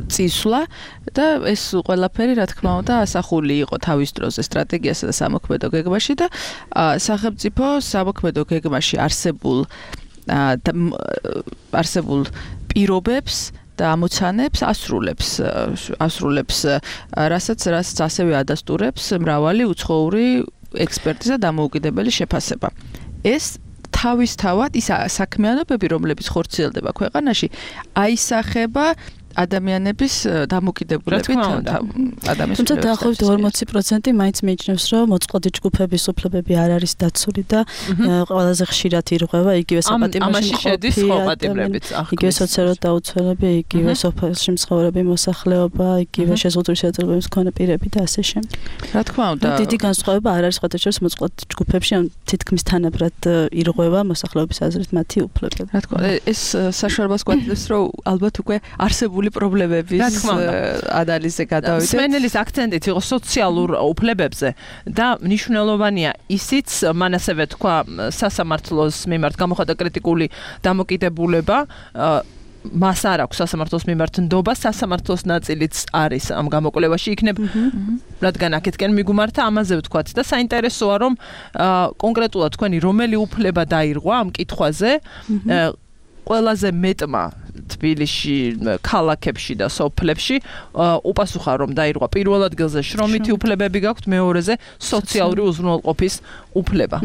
წისვლა და ეს ყველაფერი, რა თქმა უნდა, ასახული იყო თავის დროზე სტრატეგიასა და სამოქმედო გეგმაში და სახელმწიფო სამოქმედო გეგმაში არსებულ არსებულ პირობებს და ამოცანებს ასრულებს ასრულებს რასაც რასაც ასევე ადასტურებს მრავალი უცხოური ექსპერტიზა და დამოუკიდებელი შეფასება. ეს თავისთავად ის საქმიანობები, რომლებიც ხორციელდება ქვეყანაში, აისახება ადამიანების დამოკიდებულებით ადამიანის თუმცა დაახლოებით ორმოცი პროცენტი მაინც მიიჩნევს, რომ მოწყვლადი ჯგუფების უფლებები არ არის დაცული და ყველაზე ხშირად ირღვევა იგივე საპატიმროში მყოფი, იგივე სოციალურად დაუცველები, იგივე სოფელში მცხოვრები მოსახლეობა, იგივე შეზღუდული შეხედულებების მქონე პირები და ასე შემდეგ. რა თქმა უნდა, დიდი განსხვავება არ არის სხვათა შორის მოწყვლადი ჯგუფებში, ან თითქმის თანაბრად ირღვევა მოსახლეობის აზრით მათი უფლებები. რა თქმა უნდა, ეს საშუალებას გვაძლევს, რომ ალბათ უკვე არსებული პრობლემების ანალიზზე გადავიდეთ. სმენელის აქცენტით იყო სოციალურ უფლებებზე და მნიშვნელოვანია ისიც, მან ასევე თქვა სასამართლოს მიმართ გამოხატა კრიტიკული დამოკიდებულება, მას არ აქვს სასამართლოს მიმართ ნდობა, სასამართლოს ნაწილიც არის ამ გამოკვლევაში იქნებ, რადგან აქეთკენ მიგუმართა ამაზე ვთქვათ და საინტერესოა, რომ კონკრეტულად თქვენი რომელი უფლება დაირღვა ამ კითხვაზე, ყველაზე მეტმა თბილისში, ქალაქებში და სოფლებში უპასუხა, რომ დაირღვა პირველ ადგილზე შრომითი უფლებები გაქვთ, მეორეზე სოციალური უზრუნველყოფის უფლება.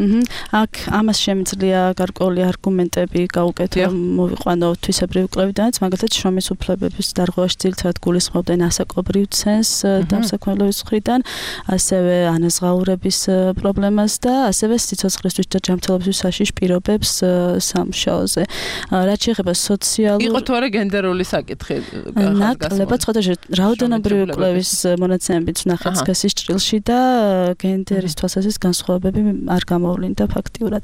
აქ ამას შემიძლია გარკვეული არგუმენტები გაუკეთო, მოვიყვანო თვისებრივი კვლევიდანაც, მაგალითად შრომის უფლებების დარღვევაში ძირითადად გულისხმობდნენ ასაკობრივ ცენს დამსაქმებლობის მხრიდან, ასევე ანაზღაურების პრობლემას და ასევე სიცოცხლისთვის და ჯანმრთელობისთვის საშიშ პირობებს სამუშაოზე. რაც შეეხება სოციალურ იყო თუ არა გენდერული საკითხი ნაკლებად სხვადასხვა რაოდენობრივი კვლევის მონაცემებით ვნახეთ სქესის ჭრილში და გენდერის თვალსაზრისით განსხვავებები არ გამოვლინდა ფაქტიურად.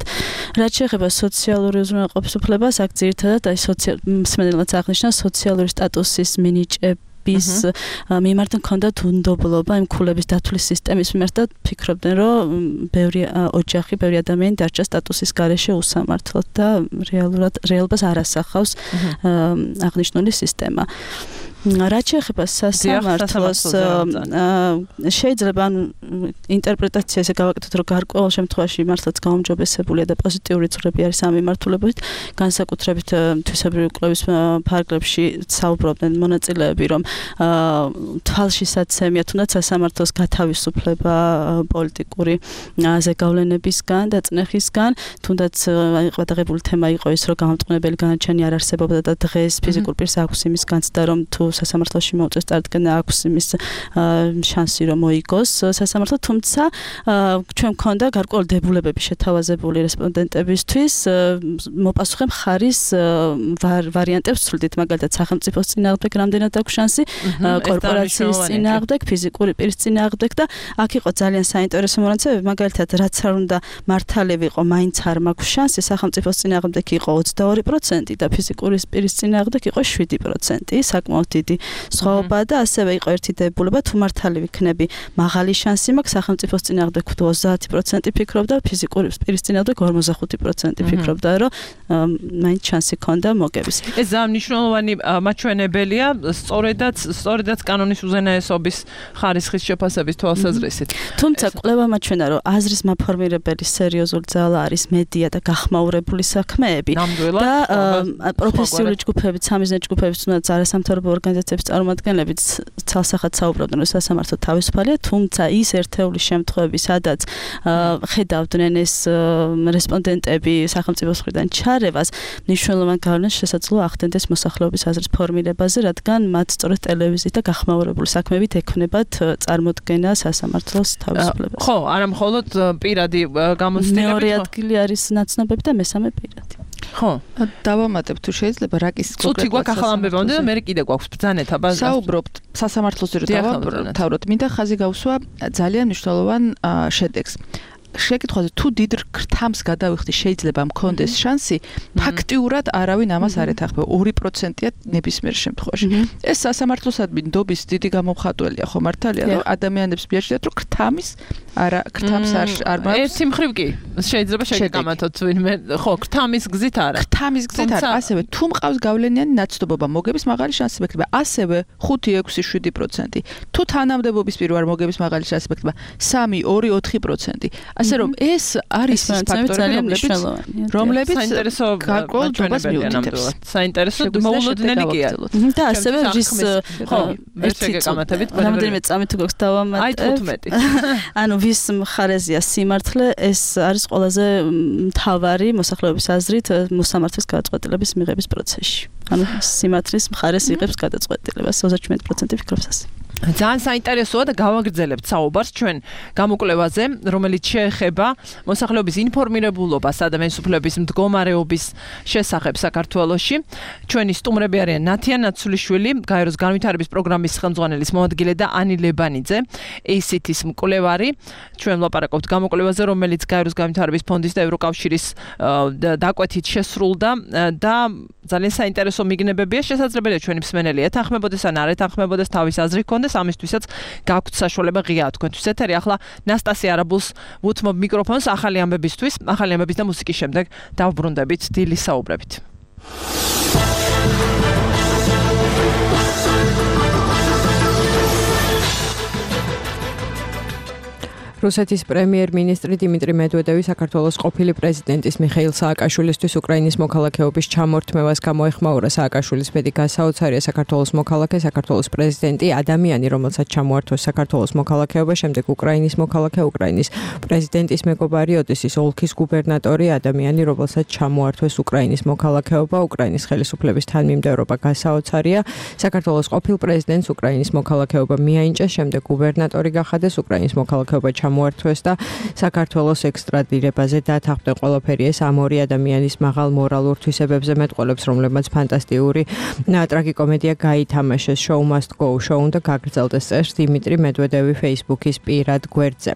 რაც შეეხება სოციალური უზრუნველყოფის უფლებას, აქ ძირითადად აი სოციალურად აღნიშნა სოციალური სტატუსის მინიჭება bis მიმართ მქონდათ უნდობლობა იმ ქულების დათვლის სისტემის მიმართ და ფიქრობდნენ, რომ ბევრი ოჯახი, ბევრი ადამიანი დარჩა სტატუსის გარეშე უსამართლოდ და რეალურად რეალობას არ ასახავს აღნიშნული სისტემა. რაც შეეხება სასამართლოს შეიძლება ან ინტერპრეტაცია ესე გავაკეთოთ, რომ გარკვეულ შემთხვევაში მართლაც გაუმჯობესებულია და პოზიტიური ცვლილება არის ამ მიმართულებით, განსაკუთრებით თვისებრივი კვლევის ფარგლებში საუბრობდნენ მონაწილეები, რომ თვალშისაცემია თუნდაც სასამართლოს გათავისუფლება პოლიტიკური ზეგავლენებისგან და წნეხისგან, თუნდაც ყადაღებული თემა იყო ის, რომ გამამტყუნებელი განაჩენი არ არსებობდა და დღეს ფიზიკურ პირს აქვს იმის განცდა, რომ თუ სასამართლოში მოუწეს წარდგენა აქვს იმის შანსი რომ მოიგოს სასამართლო, თუმცა ჩვენ მქონდა გარკვეული დებულებები შეთავაზებული რესპონდენტებისთვის, მოპასუხე მხარის ვარიანტებს ვცვლით, მაგალითად სახელმწიფოს წინააღმდეგ რამდენად აქვს შანსი, კორპორაციის წინააღმდეგ, ფიზიკური პირის წინააღმდეგ და აქ იყო ძალიან საინტერესო მონაცემები, მაგალითად რაც არ უნდა მართალი ვიყო, მაინც არ მაქვს შანსი, სახელმწიფოს წინააღმდეგ იყო ოცდაორი პროცენტი და ფიზიკური პირის წინააღმდეგ იყო შვიდი პროცენტი, საკმაოდ დიდი სხვაობა და ასევე იყო ერთი დებულება, თუ მართალი ვიქნები, მაღალი შანსი მაქვს, სახელმწიფოს წინააღმდეგ ოცდაათი პროცენტი ფიქრობდა, ფიზიკური პირის წინააღმდეგ ორმოცდახუთი პროცენტი ფიქრობდა, რომ მაინც შანსი ქონდა მოგების. ეს ძალიან მნიშვნელოვანი მაჩვენებელია, სწორედაც სწორედაც კანონის უზენაესობის ხარისხის შეფასების თვალსაზრისით. თუმცა კვლევა მაჩვენა, რომ აზრის მაფორმირებელი სერიოზული ძალა არის მედია და გახმაურებული საქმეები და პროფესიული ჯგუფები, სამიზნე ჯგუფები, თუნდაც არასამთავრობო ორგანიზაციების წარმომადგენლები ცალსახად საუბრობდნენ, რომ სასამართლო თავისუფალია, თუმცა ის ერთეული შემთხვევები, სადაც ხედავდნენ ეს რესპონდენტები სახელმწიფოს მხრიდან ჩარევას, მნიშვნელოვან გავლენას შესაძლოა ახდენდეს მოსახლეობის აზრის ფორმირებაზე, რადგან მათ სწორედ ტელევიზიით და გახმაურებული საქმეებით ექნებათ წარმოდგენა სასამართლოს თავისუფლებას. ხო, არა მხოლოდ პირადი გამოცდილებით. მეორე ადგილი არის ნაცნობები და მესამე პირადი. ხო, დავამატებ თუ შეიძლება რაკის კონკრეტულად. თუ გვაქვს ახალ ამბებამდე და მე კიდე გვაქვს ბრძანება ბაზა. საუბრობთ სასამართლოზე რომ დავამთავროთ, მინდა ხაზი გავსვა ძალიან მნიშვნელოვან შედეგს. შეკითხვაზე თუ დიდ ქრთამს გადავიხდი შეიძლება მქონდეს შანსი, ფაქტიურად არავინ ამას არ ეთანხმება. ორი პროცენტია ნებისმიერ შემთხვევაში. ეს სასამართლოსადმი ნდობის დიდი გამომხატველია, ხო მართალია, რომ ადამიანებს მიაჩნიათ, რომ ქრთამის არა ქრთამს არ არ მაქვს. ერთი მხრივ კი შეიძლება შეგამათოთ ვინმე, ხო, ქრთამის გზით არა. ქრთამის გზით არა, ასევე თუ მყავს გავლენიანი ნაცნობობა, მოგების მაღალი შანსი მექნება. ასევე ხუთი, ექვსი, შვიდი პროცენტი. თუ თანამდებობის პირ ვარ, მოგების მაღალი შანსი მექნება. სამი, ორი, ოთხი პროცენტი. ასე რომ ეს არის ფაქტორები, რომლებიც საინტერესო გარკვეულ ჯობას მიუთითებს. საინტერესო მოულოდნელი კი არის. და ასევე რის ხო, ერთგეგამათებით რამდენიმე წამი თუ გვაქვს დავამატებ. აი თხუთმეტი. ანუ ვის მხარეზეა სიმართლე, ეს არის ყველაზე მთავარი მოსახლეობის აზრით მოსამართლის გადაწყვეტილების მიღების პროცესში. ანუ სიმართლის მხარეს იღებს გადაწყვეტილებას ოცდაშვიდი პროცენტი ფიქრობს ასე. ძალიან საინტერესოა და გავაგრძელებთ საუბარს ჩვენ გამოკვლევაზე, რომელიც შეეხება მოსახლეობის ინფორმირებულობას ადამიანის უფლებების მდგომარეობის შესახებ საქართველოში. ჩვენი სტუმრები არიან ნათია ნაცულიშვილი, გაეროს განვითარების პროგრამის ხელმძღვანელის მოადგილე და ანი ლებანიძე, ეი სი თის მკვლევარი. ჩვენ ვლაპარაკობთ გამოკვლევაზე, რომელიც გაეროს განვითარების ფონდის და ევროკავშირის დაკვეთით შესრულდა და ძალიან საინტერესო მიგნებებია. შესაძლებელია ჩვენი მსმენელი ეთანხმებოდეს ან არ ეთანხმებოდეს, თავის აზრი ჰქონდეს. ამისთვისაც გაქვთ საშუალება ღია თქვენთვის ეთერი. ახლა ნასტასია არაბულს ვუთმობ მიკროფონს ახალი ამბებისთვის, ახალი ამბების და მუსიკის შემდეგ დავბრუნდებით დილის საუბრებით. რუსეთის პრემიერ-მინისტრი დიმიტრი მედვედევი საქართველოს ყოფილი პრეზიდენტის მიხეილ სააკაშვილისთვის უკრაინის მოქალაქეობის ჩამორთმევას გამოეხმაურა. სააკაშვილის ბედი გასაოცარია საქართველოს მოქალაქე, საქართველოს პრეზიდენტი, ადამიანი, რომელსაც ჩამოართვეს საქართველოს მოქალაქეობა, შემდეგ უკრაინის მოქალაქე, უკრაინის პრეზიდენტის მეგობარი, ოდესის ოლქის გუბერნატორი, ადამიანი, რომელსაც ჩამოართვეს უკრაინის მოქალაქეობა, უკრაინის ხელისუფლების თანმიმდევრობა გასაოცარია. საქართველოს ყოფილ პრეზიდენტს უკრაინის მოქალაქეობა მიაინჭეს, შემდეგ გუბერნატორი გახადეს, უკრაინის მოქალაქეობა მოართვეს და საქართველოს ექსტრადირებაზე დათანხმდა. ყველაფერი ეს ამ ორი ადამიანის მაღალ მორალურ თვისებებზე მეტყველებს, რომლებმაც ფანტასტიკური ტრაგიკომედია გაითამაშეს. Show must go show უნდა გაგრძელდეს, წერს დიმიტრი მედვედევი Facebook-ის პირად გვერდზე.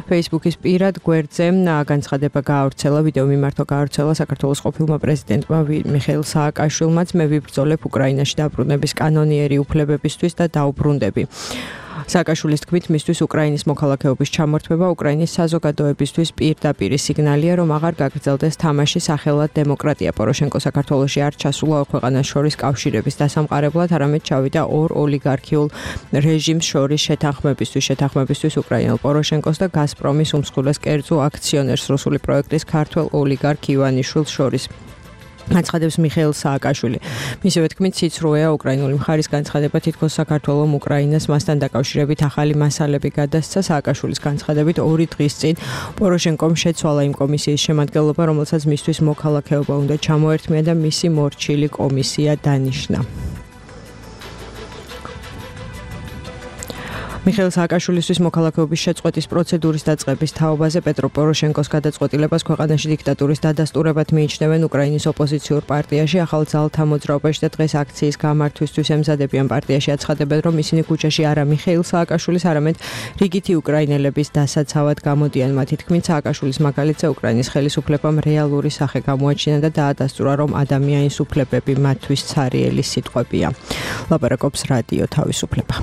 Facebook-ის პირად გვერდზე განცხადება გაავრცელა, ვიდეო მიმართვა გაავრცელა საქართველოს ყოფილმა პრეზიდენტმა მიხეილ სააკაშვილმაც. მე ვიბრძოლებ უკრაინაში დაბრუნების კანონიერი უფლებებისთვის და დაუბრუნდები. სააკაშვილის თქმით, მისთვის უკრაინის მოქალაქეობის ჩამორთმევა უკრაინის საზოგადოებისთვის პირდაპირ სიგნალია, რომ აღარ გაგრძელდეს თამაში სახელად დემოკრატია. პოროშენკო საქართველოში არ ჩასულა ორ ქვეყანას შორის კავშირების დასამყარებლად, არამედ ჩავიდა ორ ოლიგარქიულ რეჟიმს შორის შეთანხმებისთვის, შეთანხმებისთვის უკრაინელ პოროშენკოს და გაზპრომის უმსხვილეს კერძო აქციონერს რუსული პროექტის ქართველ ოლიგარქ ივანიშვილს შორის. განცხადებს მიხეილ სააკაშვილი. მისივე თქმით, ციცრუეა უკრაინული მხარის განცხადება, თითქოს საქართველოს უკრაინას მასთან დაკავშირებით ახალი მასალები გადასცა. სააკაშვილის განცხადებით, ორი დღის წინ პოროშენკომ შეცვალა იმ კომისიის შემადგენლობა, რომელსაც მისთვის მოქალაქეობა უნდა ჩამოერთმია და მისი მორჩილი კომისია დანიშნა. მიხეილ სააკაშვილისთვის მოქალაქეობის შეწყვეტის პროცედურის დაწყების თაობაზე პეტრო პოროშენკოს გადაწყვეტილებას ქვეყანაში დიქტატურის დადასტურებად მიიჩნევენ უკრაინის ოპოზიციურ პარტიაში, ახალ ძალთა მოძრაობაში და დღეს აქციის გამართვისთვის ემზადებიან. პარტიაში აცხადებენ, რომ ისინი ქუჩაში არა მიხეილ სააკაშვილის, არამედ რიგითი უკრაინელების დასაცავად გამოდიან. მათი თქმით, სააკაშვილის მაგალითზე უკრაინის ხელისუფლებამ რეალური სახე გამოაჩინა და დაადასტურა, რომ ადამიანის უფლებები მათთვის ცარიელი სიტყვებია. ლაპარაკობს რადიო თავისუფლება.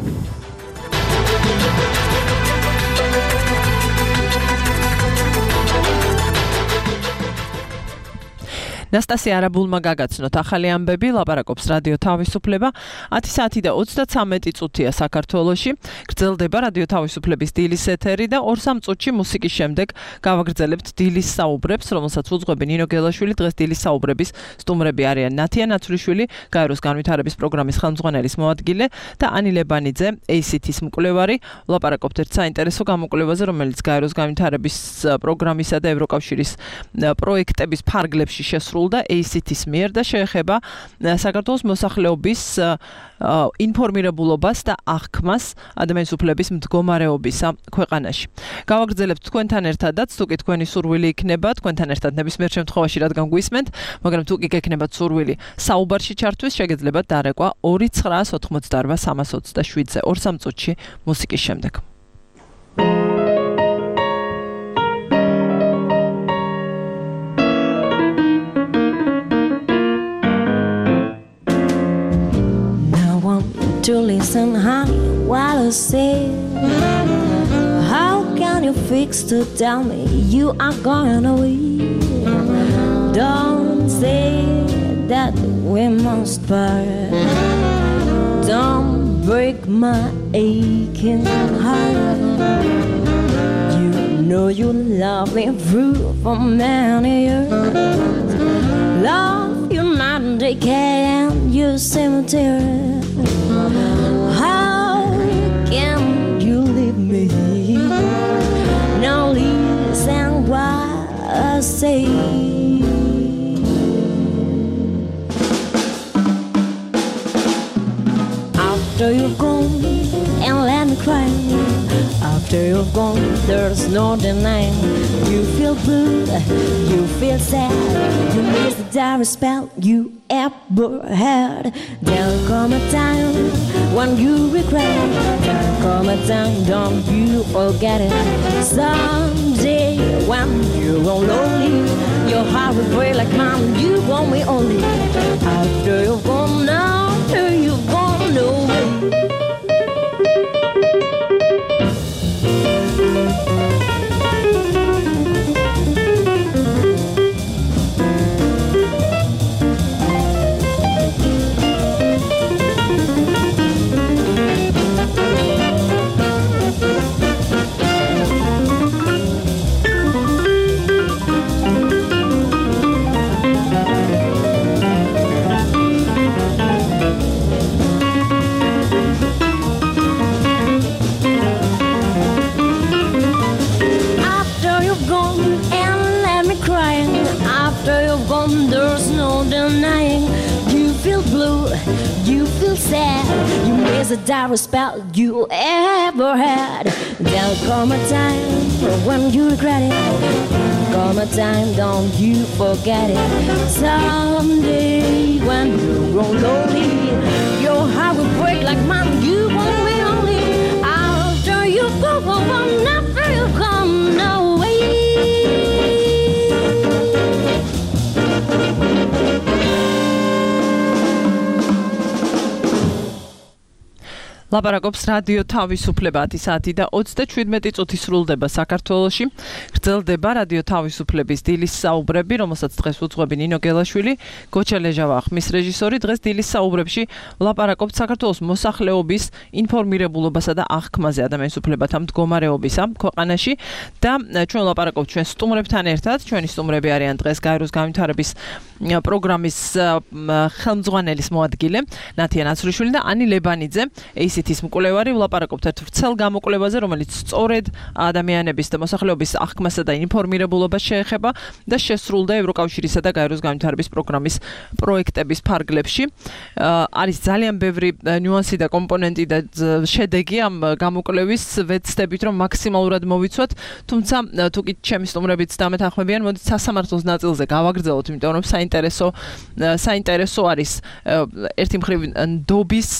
ნასტასია არაბულმა გაგაცნოთ ახალი ამბები, ლაპარაკობს რადიო თავისუფლება. ათი საათი და ოცდაცამეტი წუთია საქართველოში. გრძელდება რადიო თავისუფლების დილის ეთერი და ორ სამ წუთში მუსიკის შემდეგ გავაგრძელებთ დილის საუბრებს, რომელსაც უძღვები ნინო გელაშვილი. დღეს დილის საუბრების სტუმრები არიან ნათია ნაცულიშვილი, გაეროს განვითარების პროგრამის ხელმძღვანელის მოადგილე და ანი ლებანიძე, ეი სი თის მკვლევარი. ვლაპარაკობთ ერთ საინტერესო გამოკვლევაზე, რომელიც გაეროს განვითარების პროგრამისა და ევროკავშირის პროექტების ფარგლებში შესრულდა და ეი სი თის მიერ და შეეხება საქართველოს მოსახლეობის ინფორმირებულობას და აღქმას ადამიანის უფლების მდგომარეობისა ქვეყანაში. გავაგრძელებთ თქვენთან ერთადაც, თუ კი თქვენი სურვილი იქნება, თქვენთან ერთად ნებისმიერ შემთხვევაში რადგან გვისმენთ, მაგრამ თუ კი გექნებათ სურვილი საუბარში ჩართვის, შეგეძლებათ დარეკვა ორი ცხრაას ოთხმოცდაორ სამას ოცდაშვიდზე ორ სამ წუთში მუსიკის შემდეგ. To listen, honey, while I say, how can you fix to tell me you are going away? Don't say that we must part. Don't break my aching heart. You know you love me through for many years. Love you night and day, and you cemetery. How can you leave me? Now listen what I say. After you're gone, there's no denying. You feel blue, you feel sad. You miss the direst spell you ever had. There'll come a time when you regret. There'll come a time, don't you forget it. Someday when you're all lonely, your heart will break like mine. You want me only. After you're gone now, after you're gone away. There's no denying. You feel blue, you feel sad. You miss the direst spell you ever had. There'll come a time when you regret it. Come a time, don't you forget it. Someday when you grow lonely, your heart will break like mine. You won't be only. After you go, after you come away. ლაპარაკობს რადიო თავისუფლება საათი და ოცდაშვიდმეტი წუთი სრულდება საქართველოში. გრძელდება რადიო თავისუფლების დილის საუბრები, რომელსაც დღეს უძღვები ნინო გელაშვილი, გოჩა ლეჟავა ხმის რეჟისორი. დღეს დილის საუბრებში ლაპარაკობთ საქართველოს მოსახლეობის ინფორმირებულობასა და აღქმაზე ადამიანის უფლებათა მდგომარეობისა ქვეყანაში და ჩვენ ლაპარაკობთ ჩვენ სტუმრებთან ერთად. ჩვენი სტუმრები არიან დღეს გაეროს განვითარების პროგრამის ხელმძღვანელის მოადგილე ნათია ნაცრიშვილი და ანი ლებანიძე. ისეთის მკვლევარი. ვლაპარაკობთ ერთ ვრცელ გამოკვლევაზე, რომელიც სწორედ ადამიანების და მოსახლეობის აღქმასა და ინფორმირებულობას შეეხება და შესრულდა ევროკავშირისა და გაეროს განვითარების პროგრამის პროექტების ფარგლებში. არის ძალიან ბევრი ნიუანსი და კომპონენტი და შედეგი ამ გამოკვლევის. ვეცდებით, რომ მაქსიმალურად მოვიცვათ, თუმცა თუ კი ჩემი სტუმრებიც დამეთანხმებიან, მოდით სასამართლოს ნაწილზე გავაგრძელოთ, იმიტომ რომ საინტერესო საინტერესო არის ერთი მხრივ ნდობის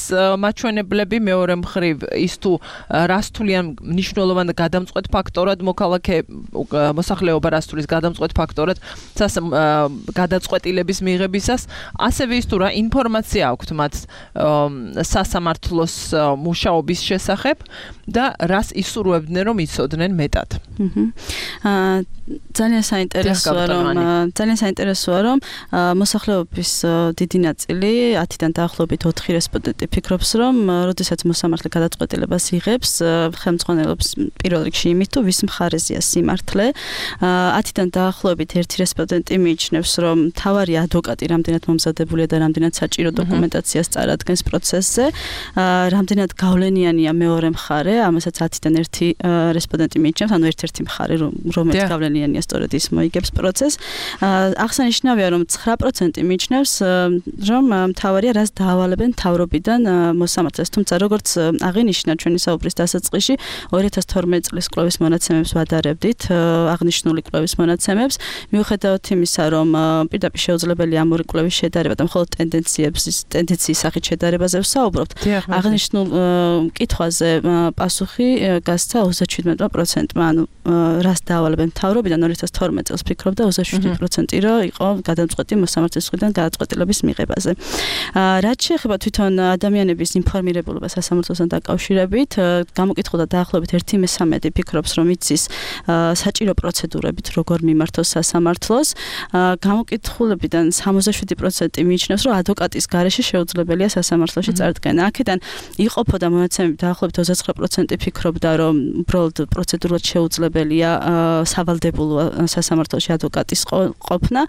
მაჩვენებლები, მეორე მხრივ ის თუ რას თვლიან მნიშვნელოვან გადამწყვეტ ფაქტორად მოქალაქე მოსახლეობა რას თulis გადამწყვეტ ფაქტორად გადაწყვეტილების მიღებისას, ასევე ის თუ რა ინფორმაცია აქვთ მათ სასამართლოს მუშაობის შესახებ და რას ისურვებდნენ რომ იცოდნენ მეტად. აა ძალიან საინტერესოა რომ ძალიან საინტერესოა რომ მოსახლეობის დიდი ნაწილი ათიდან დაახლოებით ოთხი რესპონდენტი ფიქრობს რომ როდესაც მოსამართლე გადაწყვეტილებას იღებს ხელმძღვანელობს პირველ რიგში იმით თუ ვის მხარეზეა სიმართლე. ათიდან დაახლოებით ერთი რესპონდენტი მიიჩნევს რომ მთავარი ადვოკატი რამდენად მომზადებულია და რამდენად საჭირო დოკუმენტაციას წარადგენს პროცესზე. რამდენად გავლენიანია მეორე მხარე, ამასაც ათიდან ერთი რესპონდენტი მიიჩნევს, ანუ ერთ-ერთი მხარე რომელიც გავლენიანია სწორედ ის მოიგებს პროცესს. აღსანიშნავია რომ ცხრა პროცენტი მიიჩნევს რომ მთავარია რას დაავალებენ მთავრობიდან მოსამართლეს, თუმცა როგორც აღინიშნა ჩვენი საუბრის დასაწყისში ორი ათას თორმეტი წლის კვლევის მონაცემებს ვადარებდით, აღნიშნული კვლევის მონაცემებს, მიუხედავად იმისა რომ პირდაპირ შეუძლებელია ამ ორი კვლევის შედარება და მხოლოდ ტენდენციებს ტენდენციის სახით შედარებაზე ვსაუბრობთ, აღნიშნულ კითხვაზე პასუხი გასცა ოცდაშვიდმეტი პროცენტმა, ანუ რას დაავალებენ მთავრობიდან ორი ათას თორმეტი წელს ფიქრობდა ოცდაშვიდი პროცენტი რომ იყო გადამწყვეტი მოსამართლეს მხრიდან გადაწყვეტილების მიღებაზე. რაც შეეხება თვითონ ადამიანების ინფორმირებულობას სასამართლოსთან დაკავშირებით, გამოკითხულდა დაახლოებით ერთი მესამედი ფიქრობს რომ იცის საჭირო პროცედურებით როგორ მიმართოს სასამართლოს. გამოკითხულებიდან სამოცდაშვიდი პროცენტი მიიჩნევს რომ ადვოკატის გარეშე შეუძლებელია სასამართლოში წარდგენა. აქედან იყოფოდა მონაცემები დაახლოებით ოცდაცხრა პროცენტი ფიქრობდა რომ უბრალოდ პროცედურად შეუძლებელია სავალდებულო სასამართლოში ადვოკატის ყოფნა.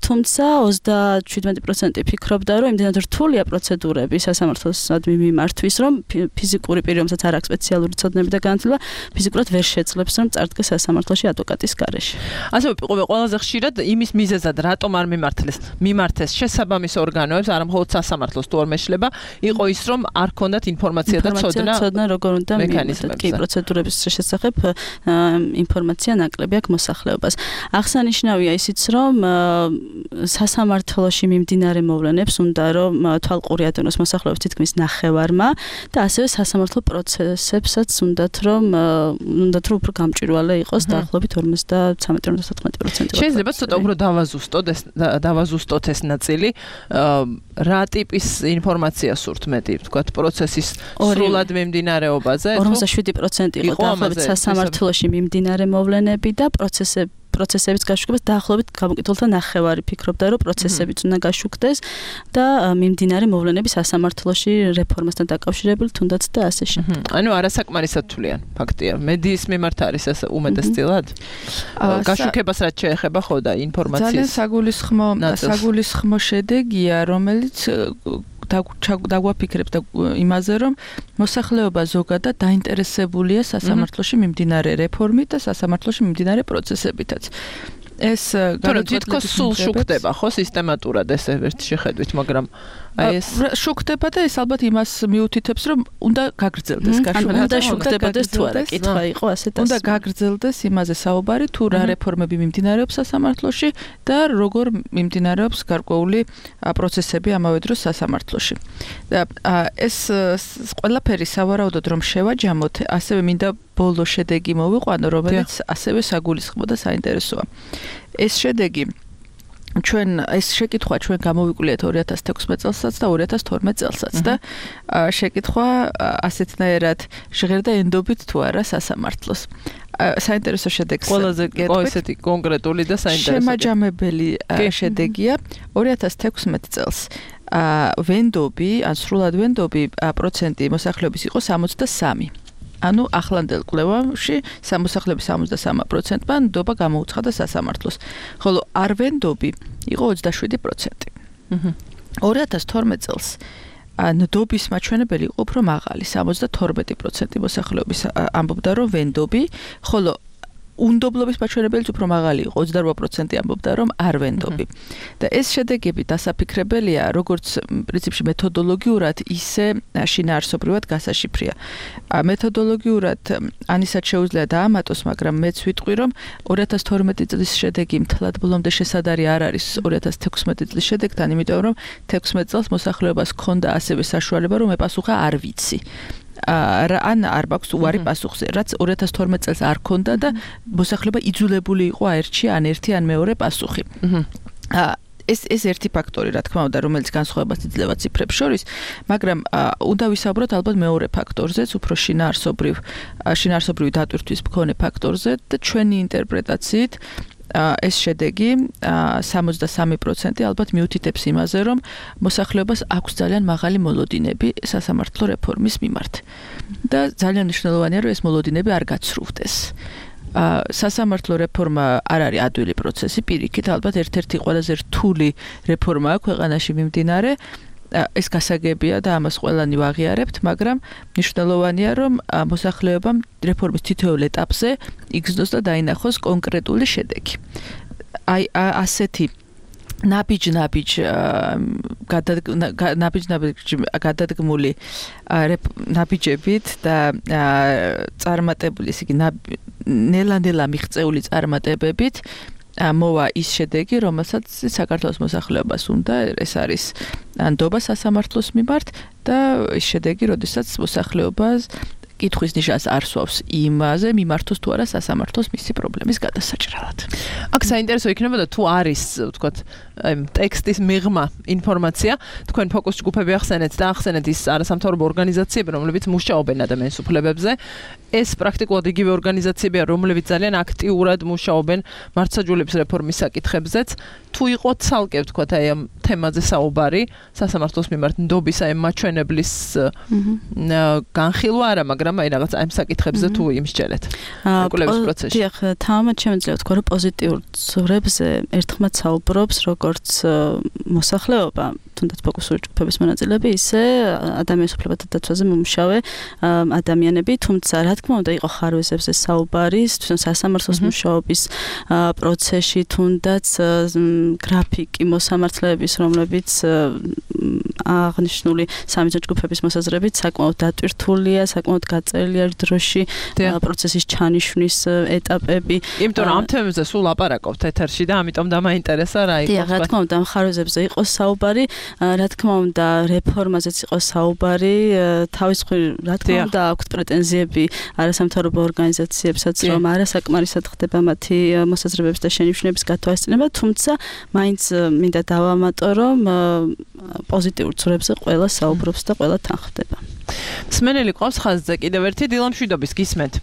თუმცა ოცდაშვიდ პროცენტი ფიქრობდა, რომ იმდენად რთულია პროცედურები სასამართლოსადმი მიმართვის, რომ ფიზიკური პირი, რომელსაც არ აქვს სპეციალური ცოდნები და განათლება, ფიზიკურად ვერ შეძლებს, რომ წარდგეს სასამართლოში ადვოკატის გარეშე. ასევე ყველაზე ხშირად იმის მიზეზად, რატომ არ მიმართლეს, მიმართეს შესაბამის ორგანოებს, არა მხოლოდ სასამართლოს თუ არ მეშლება, იყო ის, რომ არ ქონდათ ინფორმაცია და ცოდნა. ცოდნა როგორ უნდა მიმართოს. კი, პროცედურების შესახებ ინფორმაცია ნაკლები აქვს მოსახლეობას. აღსანიშნავია ისიც, რომ სასამართლოში მიმდინარე მოვლენებს უნდა რომ თვალყური ატონოს მოსახლეობის თითქმის ნახევარმა და ასევე სასამართლო პროცესებსაც უნდათ რომ უნდათ რომ უფრო გამჭვირვალე იყოს დაახლოებით ორმოცდათრამეტი ორმოცდათოთხმეტი პროცენტი. შეიძლება ცოტა უფრო დავაზუსტოთ ეს დავაზუსტოთ ეს ნაწილი. რა ტიპის ინფორმაცია სურთ მეტი, თქვათ პროცესის სრულად მიმდინარეობაზე? ორმოცდაშვიდი პროცენტი იყო დაახლოებით სასამართლოში მიმდინარე მოვლენები და პროცესები პროცესების გაშუქებას დაახლოებით გამოკითხულთა ნახევარი ფიქრობდა, რომ პროცესებიც უნდა გაშუქდეს და მიმდინარე მოვლენები სასამართლოში რეფორმასთან დაკავშირებული თუნდაც და ასე შემდეგ. ანუ არასაკმარისად თვლიან, ფაქტია. მედიის მიმართ არის ეს უმეტესწილად? გაშუქებას რაც შეეხება ხო და ინფორმაციის. ძალიან საგულისხმო საგულისხმო შედეგია, რომელიც დაგვაფიქრებს და იმაზე, რომ მოსახლეობა ზოგადად დაინტერესებულია სასამართლოში მიმდინარე რეფორმით და სასამართლოში მიმდინარე პროცესებითაც. ეს თითქოს სულ შუქდება ხო სისტემატურად ეს ერთი შეხედვით, მაგრამ აი ეს შუქდება და ეს ალბათ იმას მიუთითებს, რომ უნდა გაგრძელდეს გაშუქება. უნდა შუქდებოდეს თუ არა, კითხვა იყო ასეთ ასე. უნდა გაგრძელდეს იმაზე საუბარი, თუ რა რეფორმები მიმდინარეობს სასამართლოში და როგორ მიმდინარეობს გარკვეული პროცესები ამავე დროს სასამართლოში. და ეს ყველაფერი სავარაუდოდ რომ შევაჯამოთ, ასევე მინდა ბოლო შედეგი მოვიყვანო, რომელიც ასევე საგულისხმო და საინტერესოა. ეს შედეგი ჩვენ ეს შეკითხვა ჩვენ გამოვიკვლიეთ ორი ათას თექვსმეტ წელსაც და ორი ათას თორმეტ წელსაც და შეკითხვა ასეთნაირად ჟღერდა ენდობით თუ არა სასამართლოს. საინტერესო შედეგს ყველაზე ესეთი კონკრეტული და საინტერესო შემაჯამებელი შედეგია ორი ათას თექვსმეტ წელს ვენდობი ან სრულად ვენდობი პროცენტი მოსახლეობის იყო სამოცდასამი. ანუ ახლანდელ კვლევაში მოსახლეობის სამოცდასამი პროცენტმა ნდობა გამოუცხადა სასამართლოს, ხოლო არვენდობი იყო ოცდაშვიდი პროცენტი. ორი ათას თორმეტ წელს ნდობის მაჩვენებელი იყო უფრო მაღალი, სამოცდათორმეტი პროცენტი მოსახლეობის ამბობდა, რომ ვენდობი, ხოლო უნდობლობის მაჩვენებელიც უფრო მაღალი იყო, ოცდარვა პროცენტი ამბობდა, რომ არ ვენდობი. და ეს შედეგები დასაფიქრებელია, როგორც პრინციპში მეთოდოლოგიურად, ისე შინაარსობრივად გასაშიფრია. მეთოდოლოგიურად ანისაც შეუძლია დაამატოს, მაგრამ მეც ვიტყვი, რომ ორი ათას თორმეტი წლის შედეგი მთლად ბოლომდე შესადარი არ არის ორი ათას თექვსმეტი წლის შედეგთან, იმიტომ რომ თექვსმეტ წელს მოსახლეობას ჰქონდა ასევე საშუალება, რომ ეპასუხა არ ვიცი. ან არ მაქვს უარი პასუხზე, რაც ორი ათას თორმეტ წელს არ ქონდა და მოსახლეობა იძულებული იყო აერჩია ან ერთი ან მეორე პასუხი. ეს ეს ერთი ფაქტორი, რა თქმა უნდა, რომელიც განსხვავებას იძლევა ციფრებს შორის, მაგრამ უნდა ვისაუბროთ ალბათ მეორე ფაქტორზეც, უფრო შინაარსობრივ შინაარსობრივი დატვირთვის მქონე ფაქტორზე და ჩვენი ინტერპრეტაციით ეს შედეგი სამოცდასამი პროცენტი ალბათ მიუთითებს იმაზე, რომ მოსახლეობას აქვს ძალიან მაღალი მოლოდინები სასამართლო რეფორმის მიმართ. და ძალიან მნიშვნელოვანია, რომ ეს მოლოდინები არ გაცრუვდეს. სასამართლო რეფორმა არ არის ადვილი პროცესი, პირიქით ალბათ ერთ-ერთი ყველაზე რთული რეფორმაა ქვეყანაში მიმდინარე. ეს გასაგებია და ამას ყველანი ვაღიარებთ, მაგრამ მნიშვნელოვანია, რომ მოსახლეობამ რეფორმის თითოეულ ეტაპზე იგრძნოს და დაინახოს კონკრეტული შედეგი. აი ასეთი ნაბიჯ-ნაბიჯ ნაბიჯ-ნაბიჯ გადადგმული ნაბიჯებით და წარმატებული, ისე იგი ნელა-ნელა მიღწეული წარმატებებით მოვა ის შედეგი, რომელსაც საქართველოს მოსახლეობას უნდა, ეს არის ნდობა სასამართლოს მიმართ და ის შედეგი, როდესაც მოსახლეობას კითხვის ნიშანს არ სვავს იმაზე, მიმართოს თუ არა სასამართლოს მისი პრობლემის გადასაჭრელად. აქ საინტერესო იქნებოდა თუ არის, ვთქვათ, ტექსტის მიღმა ინფორმაცია, თქვენ ფოკუს ჯგუფები ახსენეთ და ახსენეთ ის არასამთავრობო ორგანიზაციები, რომლებიც მუშაობენ ადამიანის უფლებებზე. ეს პრაქტიკულად იგივე ორგანიზაციებია, რომლებიც ძალიან აქტიურად მუშაობენ მართლმსაჯულების რეფორმის საკითხებზეც. თუ იყო ცალკე ვთქვათ აი ამ თემაზე საუბარი, სასამართლოს მიმართ ნდობის აი მაჩვენებლის განხილვა არა, მაგრამ აი რაღაც აი ამ საკითხებზე თუ იმსჯელეთ. კვლევის პროცესში. დიახ, თამამად შემიძლია ვთქვა, რომ პოზიტიურ ზურებზე ერთხმად საუბრობს როგორც მოსახლეობა, თუნდაც ფოკუსური ჯგუფების მონაწილეები, ისე ადამიანის უფლებათა დაცვაზე მომუშავე ადამიანები, თუმცა რა თქმა უნდა იყო ხარვეზებზე საუბარი, თვითონ სასამართლოს მუშაობის პროცესში, თუნდაც გრაფიკი მოსამართლეების, რომლებიც აღნიშნული სამი ჯგუფების მოსაზრებით საკმაოდ დატვირთულია, საკმაოდ გაწერილია დროში პროცესის ჩანიშვნის ეტაპები. იმიტომ რომ ამ თემებზე სულ ლაპარაკობთ ეთერში და ამიტომ დამაინტერესა რა იყო. დიახ, რა თქმა უნდა, ამ ხარვეზებზე იყო საუბარი, რა თქმა უნდა, რეფორმაზეც იყო საუბარი, თავის მხრივ რა თქმა უნდა, აქვთ პრეტენზიები არასამთავრობო ორგანიზაციებსაც, რომ არასაკმარისად ხდება მათი მოსაზრებების და შენიშვნების გათვალისწინება, თუმცა მაინც მინდა დავამატო, რომ პოზიტიურ ცურებზე ყველა საუბრობს და ყველა თანხდება. მსმენელი ყავს ხაზზე კიდევ ერთი დილამშვიდობის გისმენთ.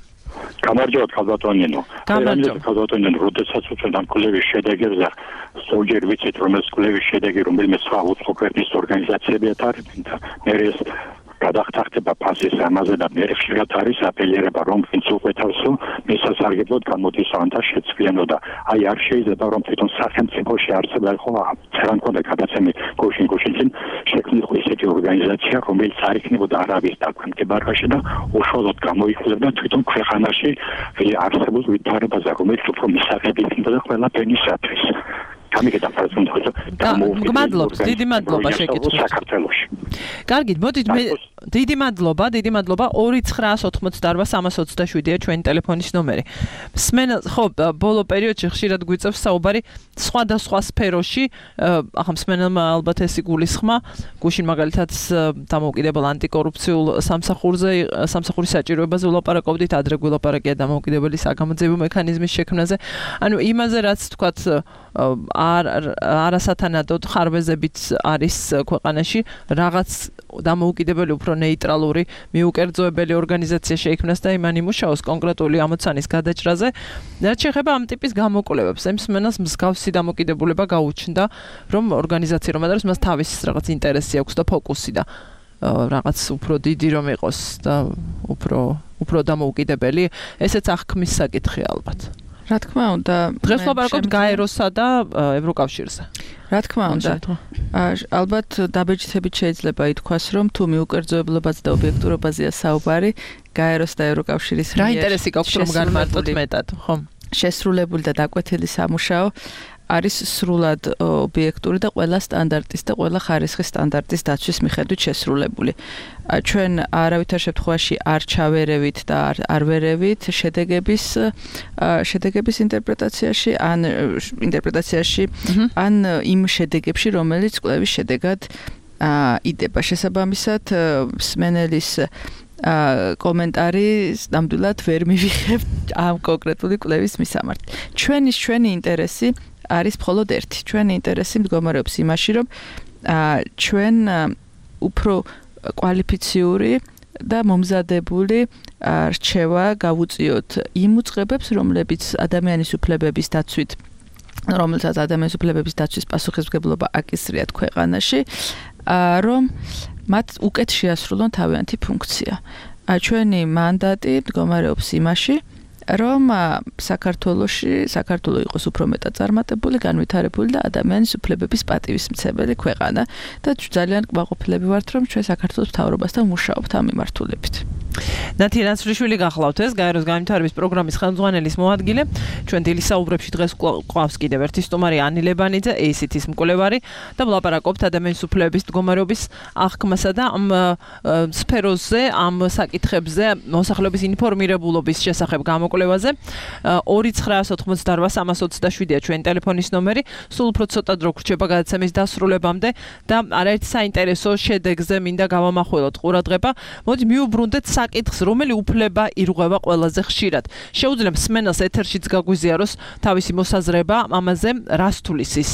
გამარჯობათ ხალბატონინო. გამარჯობათ ხალბატონინო, როდესაც უწევთ ამ კვლევის შედეგებზე, ზოგჯერ ვიცით, რომ ეს კვლევის შედეგი რომელიმე სხვა უცხო ქვეყნის ორგანიზაციებია თარგმნილი და მე ეს გადახტახტება ფასის ამაზე და მე ხშირად არის აპელირება, რომ ვინც უყვეთავსო, მისასარგებლოდ გამოდის ანთა შეცვლიანო და აი არ შეიძლება რომ თვითონ სახელმწიფოში არსებდა ხო ცერან კონდა გადაცემი გუშინ გუშინ შექმნილიყო ისეთი ორგანიზაცია, რომელიც არ იქნებოდა არავის დაქვემდებარებაში და უშუალოდ გამოიხლებდა თვითონ ქვეყანაში არსებულ ვითარებაზე, რომელიც უფრო მისაღები იქნება და ყველა ფენისათვის. გამიგეთ ამ პრეზენტაციაზე. მადლობთ, დიდი მადლობა შეკითხვით. საქართველოში. კარგით, მოდით მე დიდი მადლობა, დიდი მადლობა. ორი ცხრაას ოცდაოთხმოცდაარბა სამას ოცდაშვიდია ჩვენი ტელეფონის ნომერი. სმენა, ხო, ბოლო პერიოდში ხშირად გვიწევს საუბარი სხვადასხვა სფეროში, ახლა მსმენელმა ალბათ ეს იგულისხმა, გუშინ მაგალითად დამოუკიდებელ ანტიკორუფციულ სამსახურზე, სამსახურის საჭიროებაზე ვლაპარაკობდით, ადრე გვილაპარაკია დამოუკიდებელი საგამოძიებო მექანიზმის შექმნაზე. ანუ იმაზე რაც თქვათ არ არასათანადოდ ხარვეზებით არის ქვეყანაში რაღაც დამოუკიდებელი უფრო ნეიტრალური მიუკერძოებელი ორგანიზაცია შეიქმნას და იმან იმუშაოს კონკრეტული ამოცანის გადაჭრაზე. რაც შეეხება ამ ტიპის გამოკვლევებს, ამ მსმენელს მსგავსი დამოკიდებულება გაუჩნდა, რომ ორგანიზაცია რომ არის, მას თავის რაღაც ინტერესი აქვს და ფოკუსი და რაღაც უფრო დიდი რომ იყოს და უფრო უფრო დამოუკიდებელი, ესეც აღქმის საკითხი ალბათ. რა თქმა უნდა, დღეს ვაპარაკობთ გაეროსა და ევროკავშირზე. რა თქმა უნდა, ალბათ დაბეჭდებით შეიძლება ითქვას, რომ თუ მიუკერძოებლობაზე და ობიექტურობაზეა საუბარი, გაეროს და ევროკავშირის რა ინტერესი გაქვთ რომ განმარტოთ მეტად, ხო? შესრულებული და დაკვეთილი სამუშაო არის სრულად ობიექტური და ყველა სტანდარტის და ყველა ხარისხის სტანდარტის დაცვის მიხედვით შესრულებული. ჩვენ არავითარ შემთხვევაში არ ჩავერევით და არ ვერევით შედეგების შედეგების ინტერპრეტაციაში ან ინტერპრეტაციაში ან იმ შედეგებში, რომელიც კვლევის შედეგად იდება. შესაბამისად, მსმენელის კომენტარი ნამდვილად ვერ მივიღებთ ამ კონკრეტული კვლევის მისამართი. ჩვენი ჩვენი ინტერესი არის მხოლოდ ერთი. ჩვენი ინტერესი მდგომარეობს იმაში, რომ ჩვენ უფრო კვალიფიციური და მომზადებული რჩევა გავუწიოთ იმ უწყებებს, რომლებიც ადამიანის უფლებების დაცვით, რომელსაც ადამიანის უფლებების დაცვის პასუხისმგებლობა აკისრიათ ქვეყანაში, რომ მათ უკეთ შეასრულონ თავიანთი ფუნქცია. ჩვენი მანდატი მდგომარეობს იმაში, რომ საქართველოში საქართველო იყოს უფრო მეტად წარმატებული, განვითარებული და ადამიანის უფლებების პატივისმცემელი ქვეყანა და ძალიან კმაყოფილები ვართ, რომ ჩვენ საქართველოს მთავრობასთან ვმუშაობთ ამ მიმართულებით. ნათია ნაცრიშვილი გახლავთ ეს გაეროს განვითარების პროგრამის ხელმძღვანელის მოადგილე. ჩვენ დილის საუბრებში დღეს ყავს კიდევ ერთი სტუმარი ანი ლებანიძე, ეი სი თის მკვლევარი და ვლაპარაკობთ ადამიანის უფლებების მდგომარეობის აღქმასა და ამ სფეროზე, ამ საკითხებზე, მოსახლეობის ინფორმირებულობის შესახებ გამოკვლევაზე. ორი ცხრაას ოცდაოთხმოცდაარბა სამას ოცდაშვიდია ჩვენი ტელეფონის ნომერი. სულ უფრო ცოტა დრო გრჩება გადაცემის დასრულებამდე და არაერთი საინტერესო შედეგზე მინდა გავამახვილოთ ყურადღება. მოდი მიუბრუნდეთ საკითხს, რომელი უფლება ირღვევა ყველაზე ხშირად. შეუძლია მსმენელს ეთერშიც გაგვიზიაროს თავისი მოსაზრება ამაზე, რას თulis ის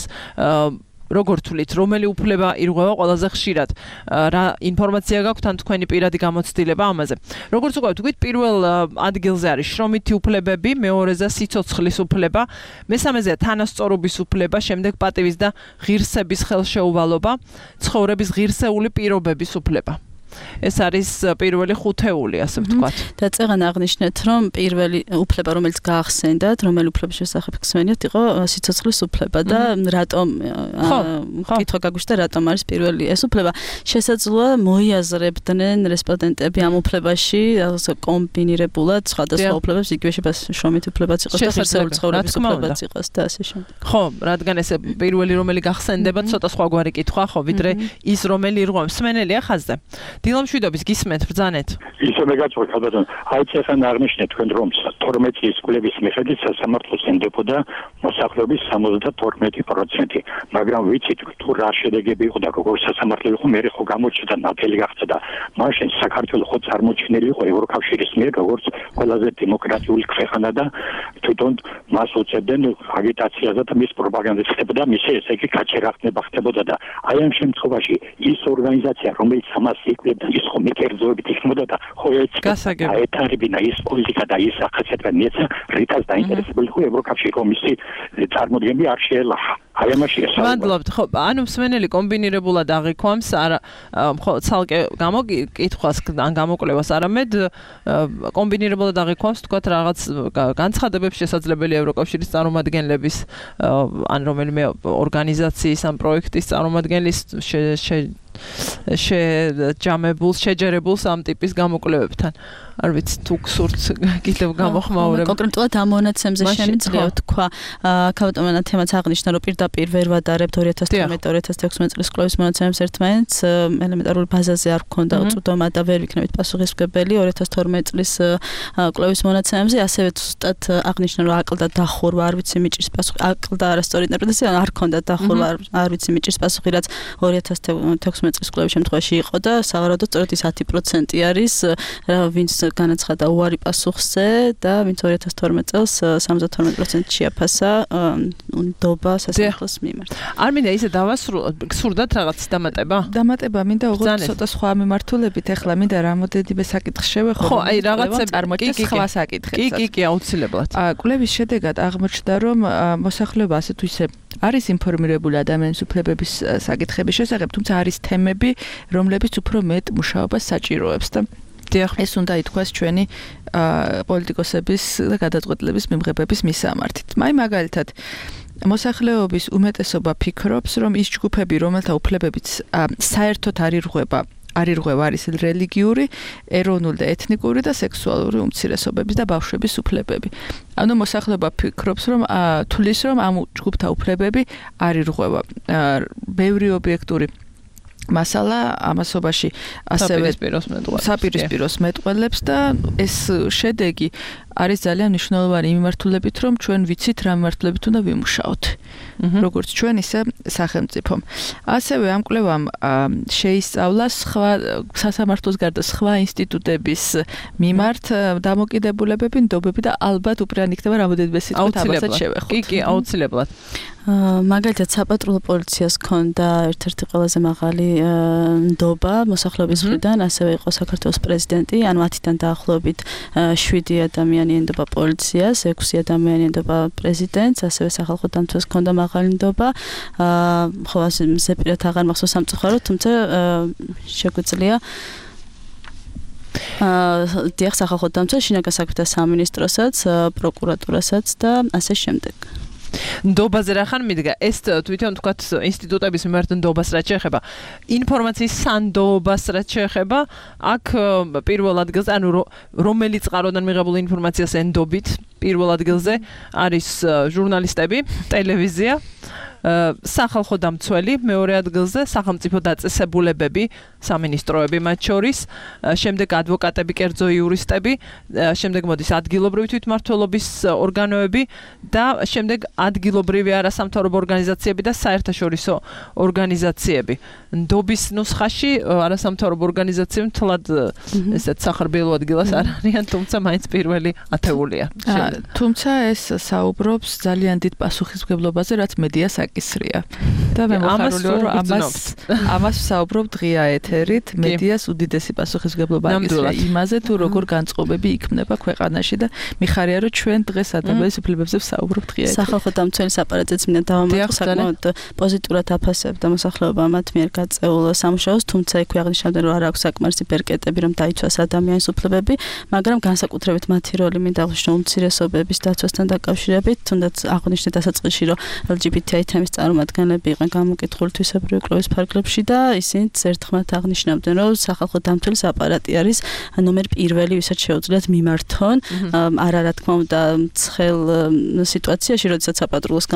როგორ თვლით, რომელი უფლება ირღვევა ყველაზე ხშირად? რა ინფორმაცია გაქვთ ან თქვენი პირადი გამოცდილება ამაზე? როგორც უკვე ვთქვით, პირველ ადგილზე არის შრომითი უფლებები, მეორეზე სიცოცხლის უფლება, მესამეზეა თანასწორობის უფლება, შემდეგ პატივის და ღირსების ხელშეუვალობა, ცხოვრების ღირსეული პირობების უფლება. ეს არის პირველი ხუთეული, ასე ვთქვათ. და წეგან აღნიშნეთ, რომ პირველი უფლება, რომელიც გაახსენდათ, რომელი უფლების შესახებ გსმენიათ, იყო სიცოცხლის უფლება და რატომ კითხვა გაგვიშთა, რატომ არის პირველი ეს უფლება? შესაძლოა მოიაზრებდნენ რესპონდენტები ამ უფლებაში კომბინირებულად სხვადასხვა უფლებებს, იგივე შეიძლება შრომითი უფლებაც იყოს და ღირსეული ცხოვრების უფლებაც იყოს და ასე შემდეგ. ხო, რადგან ეს პირველი რომელი გახსენდება, ცოტა სხვაგვარი კითხვა, ხო, ვიდრე ის რომელი ირღვევს. მსმენელია ხაზზე. დილამშვიდობის გისმენთ ბრძანეთ. ისე მეგაწყვეტ ხალბატონ, აი წესან აღნიშნეთ თქვენ რომ თორმეტი წლის კვლევის მიხედვით სასამართლოს ენდებოდა მოსახლეობის სამოცდათორმეტი პროცენტი, მაგრამ ვიცით თუ რა შედეგები იყო და როგორ სასამართლო იყო, მე ხო გამოჩნდა ნათელი გახდა და მაშინ საქართველოს ხო წარმოჩენილი იყო ევროკავშირის მიერ როგორც ყველაზე დემოკრატიული ქვეყანა და თვითონ მას უწევდნენ აგიტაციაზე და მის პროპაგანდას ხდებოდა, მისი ესე იგი გაჩერახნება ხდებოდა და აი ამ შემთხვევაში ის ორგანიზაცია რომელიც ამას იკვლევდა ის ხომ მიკერძოებით იქნებოდა და ხო ეთარებინა ის პოლიტიკა და ის ახასიათება მიეცა რითაც დაინტერესებული იყო ევროკავშირი კომისიის წარმოდგენები არ შეელახა. აი ამაში ეს მადლობთ. ხო, ანუ მსმენელი კომბინირებულად აღიქვამს, არა ხო ცალკე გამოკითხვას ან გამოკვლევას, არამედ კომბინირებულად აღიქვამს, თქვათ რაღაც განცხადებებს შესაძლებელია ევროკავშირის წარმომადგენლების ან რომელიმე ორგანიზაციის ან პროექტის წარმომადგენლის შეჯამებულს, შეჯერებულს ამ ტიპის გამოკვლევებთან. არ ვიცი თუ გსურთ კიდევ გამოხმაურება. კონკრეტულად ამ მონაცემზე შემიძლია თქვა, ქალბატონმა თემაც აღნიშნა, რომ პირდაპირ ვერ ვადარებთ ორი ათას თერთმეტ ორი ათას თექვსმეტ წლის კვლევის მონაცემებს ერთმანეთს, ელემენტარული ბაზაზე არ გქონდა უწვდომა და ვერ ვიქნებით პასუხისმგებელი ორი ათას თორმეტ წლის კვლევის მონაცემებზე, ასევე ზუსტად აღნიშნა, რომ აკლდა დახურვა, არ ვიცი მიჭრის პასუხი, აკლდა არასწორი ინტერპრეტაცია, არ ქონდა დახურვა, არ ვიცი მიჭრის პასუხი, რაც ორი ათას თექვსმეტ წლის კვლევის შემთხვევაში იყო და სავარაუდოდ სწორედ ის ათი პროცენტი არის, ვინც განაცხადა უარი პასუხზე და ვინც ორი ათას თორმეტ წელს სამოცდათორმეტ პროცენტი შეაფასა ნდობა სასამართლოს მიმართ. არ მინდა ისე დავასრულოთ, გსურდათ რაღაც დამატება? დამატება მინდა უღოთ ცოტა სხვა მიმართულებით, ეხლა მინდა რამოდენიმე საკითხს შევეხო. ხო, აი რაღაცები წარმოიდგინეთ სხვა საკითხებსაც. კი, კი, კი, აუცილებლად. კვლევის შედეგად აღმოჩნდა, რომ მოსახლეობა ასე თუ ისე არის ინფორმირებული ადამიანის უფლებების საკითხების შესახებ, თუმცა არის თემები, რომლებიც უფრო მეტ მუშაობას საჭიროებს და ეს უნდა ითქვას ჩვენი პოლიტიკოსების და გადაწყვეტილების მიმღებების მისამართით. აი მაგალითად მოსახლეობის უმეტესობა ფიქრობს, რომ ის ჯგუფები, რომელთა უფლებებიც საერთოდ არ ირღვევა, არ ირღვევა არის რელიგიური, ეროვნული და ეთნიკური და სექსუალური უმცირესობების და ბავშვების უფლებები. ანუ მოსახლეობა ფიქრობს, რომ თulis რომ ამ ჯგუფთა უფლებები არ ირღვევა. ბევრი ობიექტური მასალა ამასობაში ასევე საპირისპიროს მეტყველებს და ეს შედეგი არის ძალიან მნიშვნელოვანი მიმართულებით, რომ ჩვენ ვიცით რა მიმართულებით უნდა ვიმუშაოთ. როგორც ჩვენ ისე სახელმწიფომ. ასევე ამ კვლევამ შეისწავლა სხვა სასამართლოს გარდა სხვა ინსტიტუტების მიმართ დამოკიდებულებები, ნდობები და ალბათ უპირან იქნება რამოდენიმე სიტყვით ამასაც შევეხოთ. კი, კი, აუცილებლად. მაგალითად საპატრულო პოლიციას ჰქონდა ერთ-ერთი ყველაზე მაღალი ნდობა მოსახლეობის მხრიდან, ასევე იყო საქართველოს პრეზიდენტი, ანუ ათიდან დაახლოებით შვიდი ადამიანი ენდობა პოლიციას, ექვსი ადამიანი ენდობა პრეზიდენტს, ასევე სახალხო დამცველს ჰქონდა მაღალი ნდობა. ხო, ასე ზეპირად აღარ მახსოვს სამწუხაროდ, თუმცა შეგვიძლია აა დიახ, სახალხო დამცველს, შინაგან საქმეთა სამინისტროსაც, პროკურატურასაც და ასე შემდეგ. ნდობაზე რა ხან მიდგა ეს თვითონ თქვათ ინსტიტუტების მიმართ ნდობას რაც შეეხება ინფორმაციის სანდობას რაც შეეხება აქ პირველ ადგილზე ანუ რომელი წყაროდან მიღებული ინფორმაციას ენდობით პირველ ადგილზე არის ჟურნალისტები ტელევიზია სახალხო დამცველი მეორე ადგილზე სახელმწიფო დაწესებულებები სამინისტროები მათ შორის შემდეგ ადვოკატები კერძო იურისტები შემდეგ მოდის ადგილობრივი თვითმმართველობის ორგანოები და შემდეგ ადგილობრივი არასამთავრობო ორგანიზაციები და საერთაშორისო ორგანიზაციები ნდობის ნუსხაში არასამთავრობო ორგანიზაციები თლად ესეთ სახარბიელო ადგილას არ არიან თუმცა მაინც პირველი ათეულია თუმცა ეს საუბრობს ძალიან დიდ პასუხისმგებლობაზე რაც მედიას აკისრია. და მე მოხარული ვარ ამას ამას ვსაუბრობ დღეა ეთერით მედიას უდიდესი პასუხისმგებლობა აკისრია იმაზე თუ როგორ განწყობები იქმნება ქვეყანაში და მიხარია რომ ჩვენ დღეს ადამიანის უფლებებზე ვსაუბრობთ დღეა ეთერით. სახალხო დამცველის აპარატიც მინდა დავამატო საკმაოდ პოზიტიურად აფასებდა მოსახლეობა მათ მიერ გაწეულ სამუშაოს, თუმცა იქვე აღნიშნავდნენ რომ არ აქვს საკმარისი ბერკეტები რომ დაიცვას ადამიანის უფლებები, მაგრამ განსაკუთრებით მათი როლი მინდა აღნიშნო უმცირესობების დაცვასთან დაკავშირებით, თუნდაც აღნიშნეთ დასაწყისში რომ ელ ჯი ბი თი აი თემის წარმომადგენლები იყვნენ გამოკითხული თვისებრივი კვლევის ფარგლებში და ისინიც ერთხმად აღნიშნავდნენ რომ სახალხო დამცველის აპარატი არის ნომერ პირველი, ვისაც შეუძლიათ მიმართონ, არა რა თქმა უნდა ცხელ სიტუაციაში, როდესაც საპატრულოს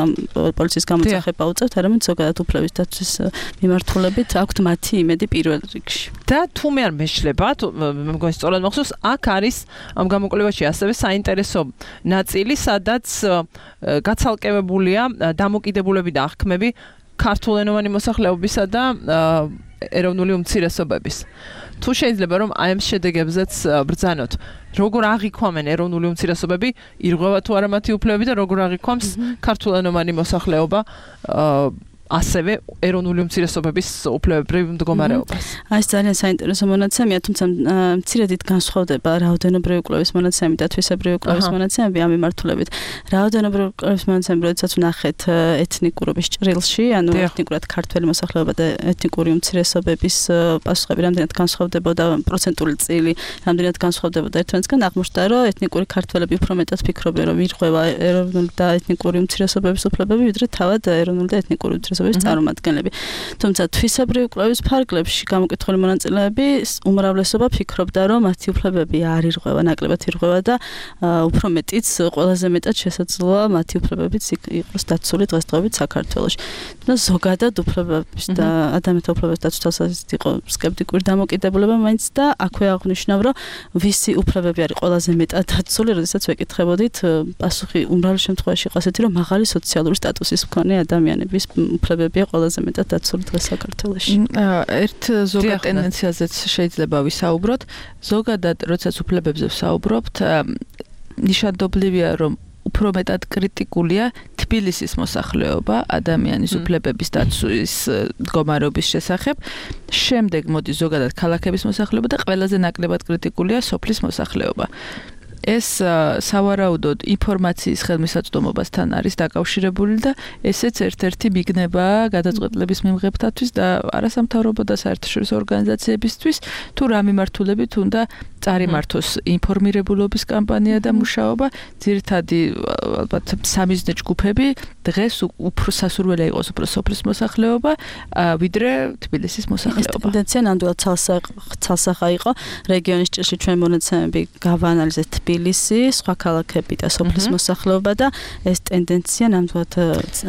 პოლიციის გამოძახება უწევთ, არამედ ზოგადად უფლების დაცვის მიმართულებით აქვთ მათი იმედი პირველ რიგში. და თუ მე არ მეშლება, მე მგონი სწორად მახსოვს, აქ არის ამ გამოკვლევაში ასევე საინტერესო ნაწილი, სადაც გაცალკევებულია დამოკიდებულები და აღქმები ქართულენოვანი მოსახლეობისა და ეროვნული უმცირესობების. თუ შეიძლება რომ აი ამ შედეგებზეც ბრძანოთ, როგორ აღიქვამენ ეროვნული უმცირესობები, ირღვევა თუ არა მათი უფლებები და როგორ აღიქვამს ქართულენოვანი მოსახლეობა ასევე ეროვნული უმცირესობების უფლებებრივ მდგომარეობას. აი ძალიან საინტერესო მონაცემია, თუმცა მცირედით განსხვავდება რაოდენობრივი კვლევის მონაცემები და თვისებრივი კვლევის მონაცემები ამ მიმართულებით. რაოდენობრივი კვლევის მონაცემები, როდესაც ვნახეთ ეთნიკურობის ჭრილში, ანუ ეთნიკურად ქართველი მოსახლეობა და ეთნიკური უმცირესობების პასუხები რამდენად განსხვავდებოდა, პროცენტული წილი რამდენად განსხვავდებოდა ერთმანეთისგან, აღმოჩნდა, რომ ეთნიკური ქართველები უფრო მეტად ფიქრობენ, რომ ირღვევა ეროვნული და ეთნიკური უმცირესობების უფლებები, ვიდრე თავად ეროვნული და ეთნიკური უმცირესობების წარმომადგენლები. თუმცა თვისებრივი კვლევის ფარგლებში გამოკითხული მონაწილეები უმრავლესობა ფიქრობდა, რომ მათი უფლებები არ ირღვევა, ნაკლებად ირღვევა და უფრო მეტიც ყველაზე მეტად შესაძლოა მათი უფლებებიც იყოს დაცული დღესდღეობით საქართველოში. და ზოგადად უფლებების და ადამიანთა უფლებების დაცვის თვალსაზრისით იყო სკეპტიკური დამოკიდებულება მაინც და აქვე აღნიშნავ, რომ ვისი უფლებები არის ყველაზე მეტად დაცული, როდესაც ვეკითხებოდით, პასუხი უმრავლეს შემთხვევაში იყო ასეთი, რომ მაღალი სოციალური სტატუსის მქონე ადამიანების უფლებებია ყველაზე მეტად დაცული დღეს საქართველოში. ერთ ზოგად ტენდენციაზეც შეიძლება ვისაუბროთ. ზოგადად, როდესაც უფლებებზე ვსაუბრობთ, ნიშანდობლივია, რომ უფრო მეტად კრიტიკულია თბილისის მოსახლეობა ადამიანის უფლებების დაცვის მდგომარეობის შესახებ. შემდეგ მოდის ზოგადად ქალაქების მოსახლეობა და ყველაზე ნაკლებად კრიტიკულია სოფლის მოსახლეობა. ეს სავარაუდოდ ინფორმაციის ხელმისაწვდომობასთან არის დაკავშირებული და ესეც ერთ-ერთი მიგნება გადაწყვეტილების მიმღებთათვის და არასამთავრობო და საერთაშორისო ორგანიზაციებისთვის თუ რა მიმართულებით უნდა წარიმართოს ინფორმირებულობის კამპანია და მუშაობა. ძირითადი ალბათ სამიზნე ჯგუფები დღეს უფრო სასურველი იყოს უფრო სოფლის მოსახლეობა ვიდრე თბილისის მოსახლეობა. ეს ტენდენცია ნამდვილად ცალსახა იყო. რეგიონის ჭრილში ჩვენ მონაცემები გავაანალიზეთ თბილისი, სხვა ქალაქები და სოფლის მოსახლეობა და ეს ტენდენცია ნამდვილად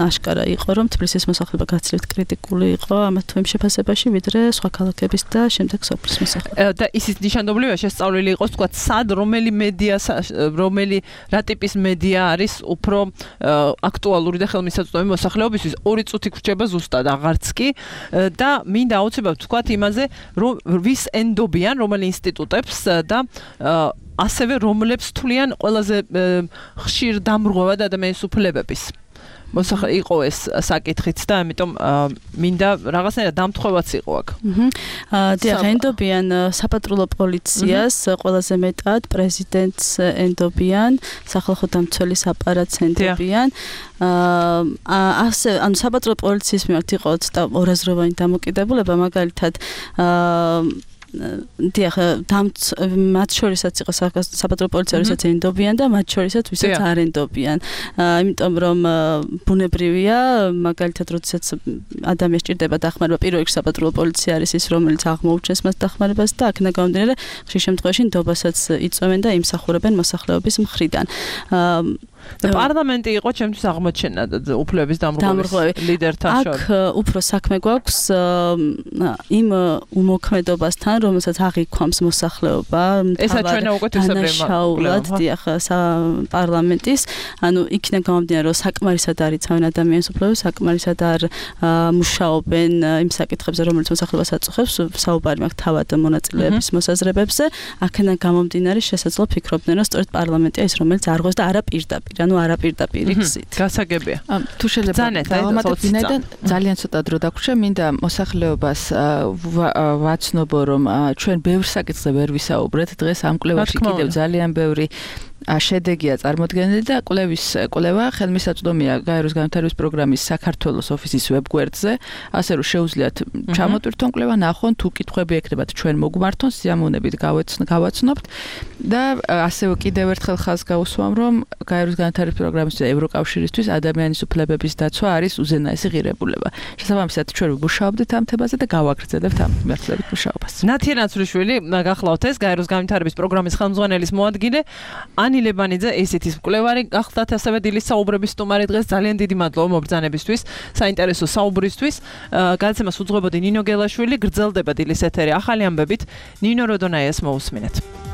აშკარა იყო, რომ თბილისის მოსახლეობა გაცილებით კრიტიკული იყო ამ თუ იმ შეფასებაში, ვიდრე სხვა ქალაქების და შემდეგ სოფლის მოსახლეობა. და ისიც ნიშანდობლივია შესწავლილი იყოს, თქვა, სად რომელი მედია, რომელი რა ტიპის მედია არის უფრო აქტუალური და ხელმისაწვდომი მოსახლეობისთვის. ორი წუთი გრჩება ზუსტად აღარც კი და მინდა აუცილებლად თქვა იმაზე, რომ ვის ენდობიან, რომელი ინსტიტუტებს და ასევე რომლებს თვლიან ყველაზე ხშირ დამრღვევად ადამიანის უფლებების. მოსახლე იყო ეს საკითხიც და ამიტომ მინდა რაღაცნაირად დამთხოვაც იყო აქ. აა დიახ, ენდობიან საპატრულო პოლიციას, ყველაზე მეტად პრეზიდენტს ენდობიან, სახალხო დამცველის აპარატს ენდობიან. აა ასე ანუ საპატრულო პოლიციის მიმართ იყო ცოტა ორაზროვანი დამოკიდებულება, მაგალითად აა დიახ, მათ შორისაც იყო საპატრულო პოლიცია, როსაც ენდობიან და მათ შორისაც ვისაც არ ენდობიან. იმიტომ რომ ბუნებრივია, მაგალითად, როდესაც ადამიანს ჭირდება დახმარება, პირველ რიგში საპატრულო პოლიცია არის ის, რომელიც აღმოუჩენს მას დახმარებას და აქედან გამომდინარე, ხშირ შემთხვევაში ნდობასაც იწვევენ და იმსახურებენ მოსახლეობის მხრიდან. და პარლამენტი იყო ჩემთვის აღმოჩენა უფლების დამრღვევის ლიდერთან შორის. აქ უფრო საქმე გვაქვს იმ უმოქმედობასთან, რომელსაც აღიქვამს მოსახლეობა. ესა ჩვენა უკვე თვისებრივი მშაულად, დიახ, პარლამენტის, ანუ იქიდან გამომდინარე, რომ საკმარისად არ იცავენ ადამიანის უფლებებს, საკმარისად არ მუშაობენ იმ საკითხებზე, რომელიც მოსახლეობას აწუხებს, საუბარი მაქვს თავად მონაწილეების მოსაზრებებზე. აქედან გამომდინარე, შესაძლოა ფიქრობდნენ, რომ სწორედ პარლამენტია ის, რომელიც არღვევს და არა პირდაპირ. პირდაპირ, ანუ არაპირდაპირი გზით. გასაგებია. თუ შეიძლება დავამატებ ვინაიდან ძალიან ცოტა დრო დაგვრჩა, მინდა მოსახლეობას ვაცნობო, რომ ჩვენ ბევრ საკითხზე ვერ ვისაუბრეთ. დღეს ამ კვლევაში კიდევ ძალიან ბევრი შედეგია წარმოდგენილი და კვლევის კვლევა ხელმისაწვდომია გაეროს განვითარების პროგრამის საქართველოს ოფისის ვებგვერდზე, ასე რომ შეუძლიათ ჩამოტვირთონ კვლევა, ნახონ თუ კითხვები ექნებათ ჩვენ მოგმართონ, სიამოვნებით გავაცნობთ და ასევე კიდევ ერთხელ ხაზს გავუსვამ, რომ გაეროს განვითარების პროგრამის და ევროკავშირისთვის ადამიანის უფლებების დაცვა არის უზენაესი ღირებულება. შესაბამისად ჩვენ ვმუშაობთ ამ თემაზე და გავაგრძელებთ ამ მიმართულებით მუშაობას. ნათია ნაცრიშვილი, გახლავთ ეს გაეროს განვითარების პროგრამის ხელმძღვანელის მოადგილე. ანი ლებანიძე ესეთის მკვლევარი გახლავთ ასევე დილის საუბრების სტუმარი დღეს ძალიან დიდი მადლობა მობრძანებისთვის, საინტერესო საუბრისთვის. გადაცემას უძღვებოდი ნინო გელაშვილი, გრძელდება დილის ეთერი ახალი ამბებით. ნინო როდონაიას მოусმინეთ.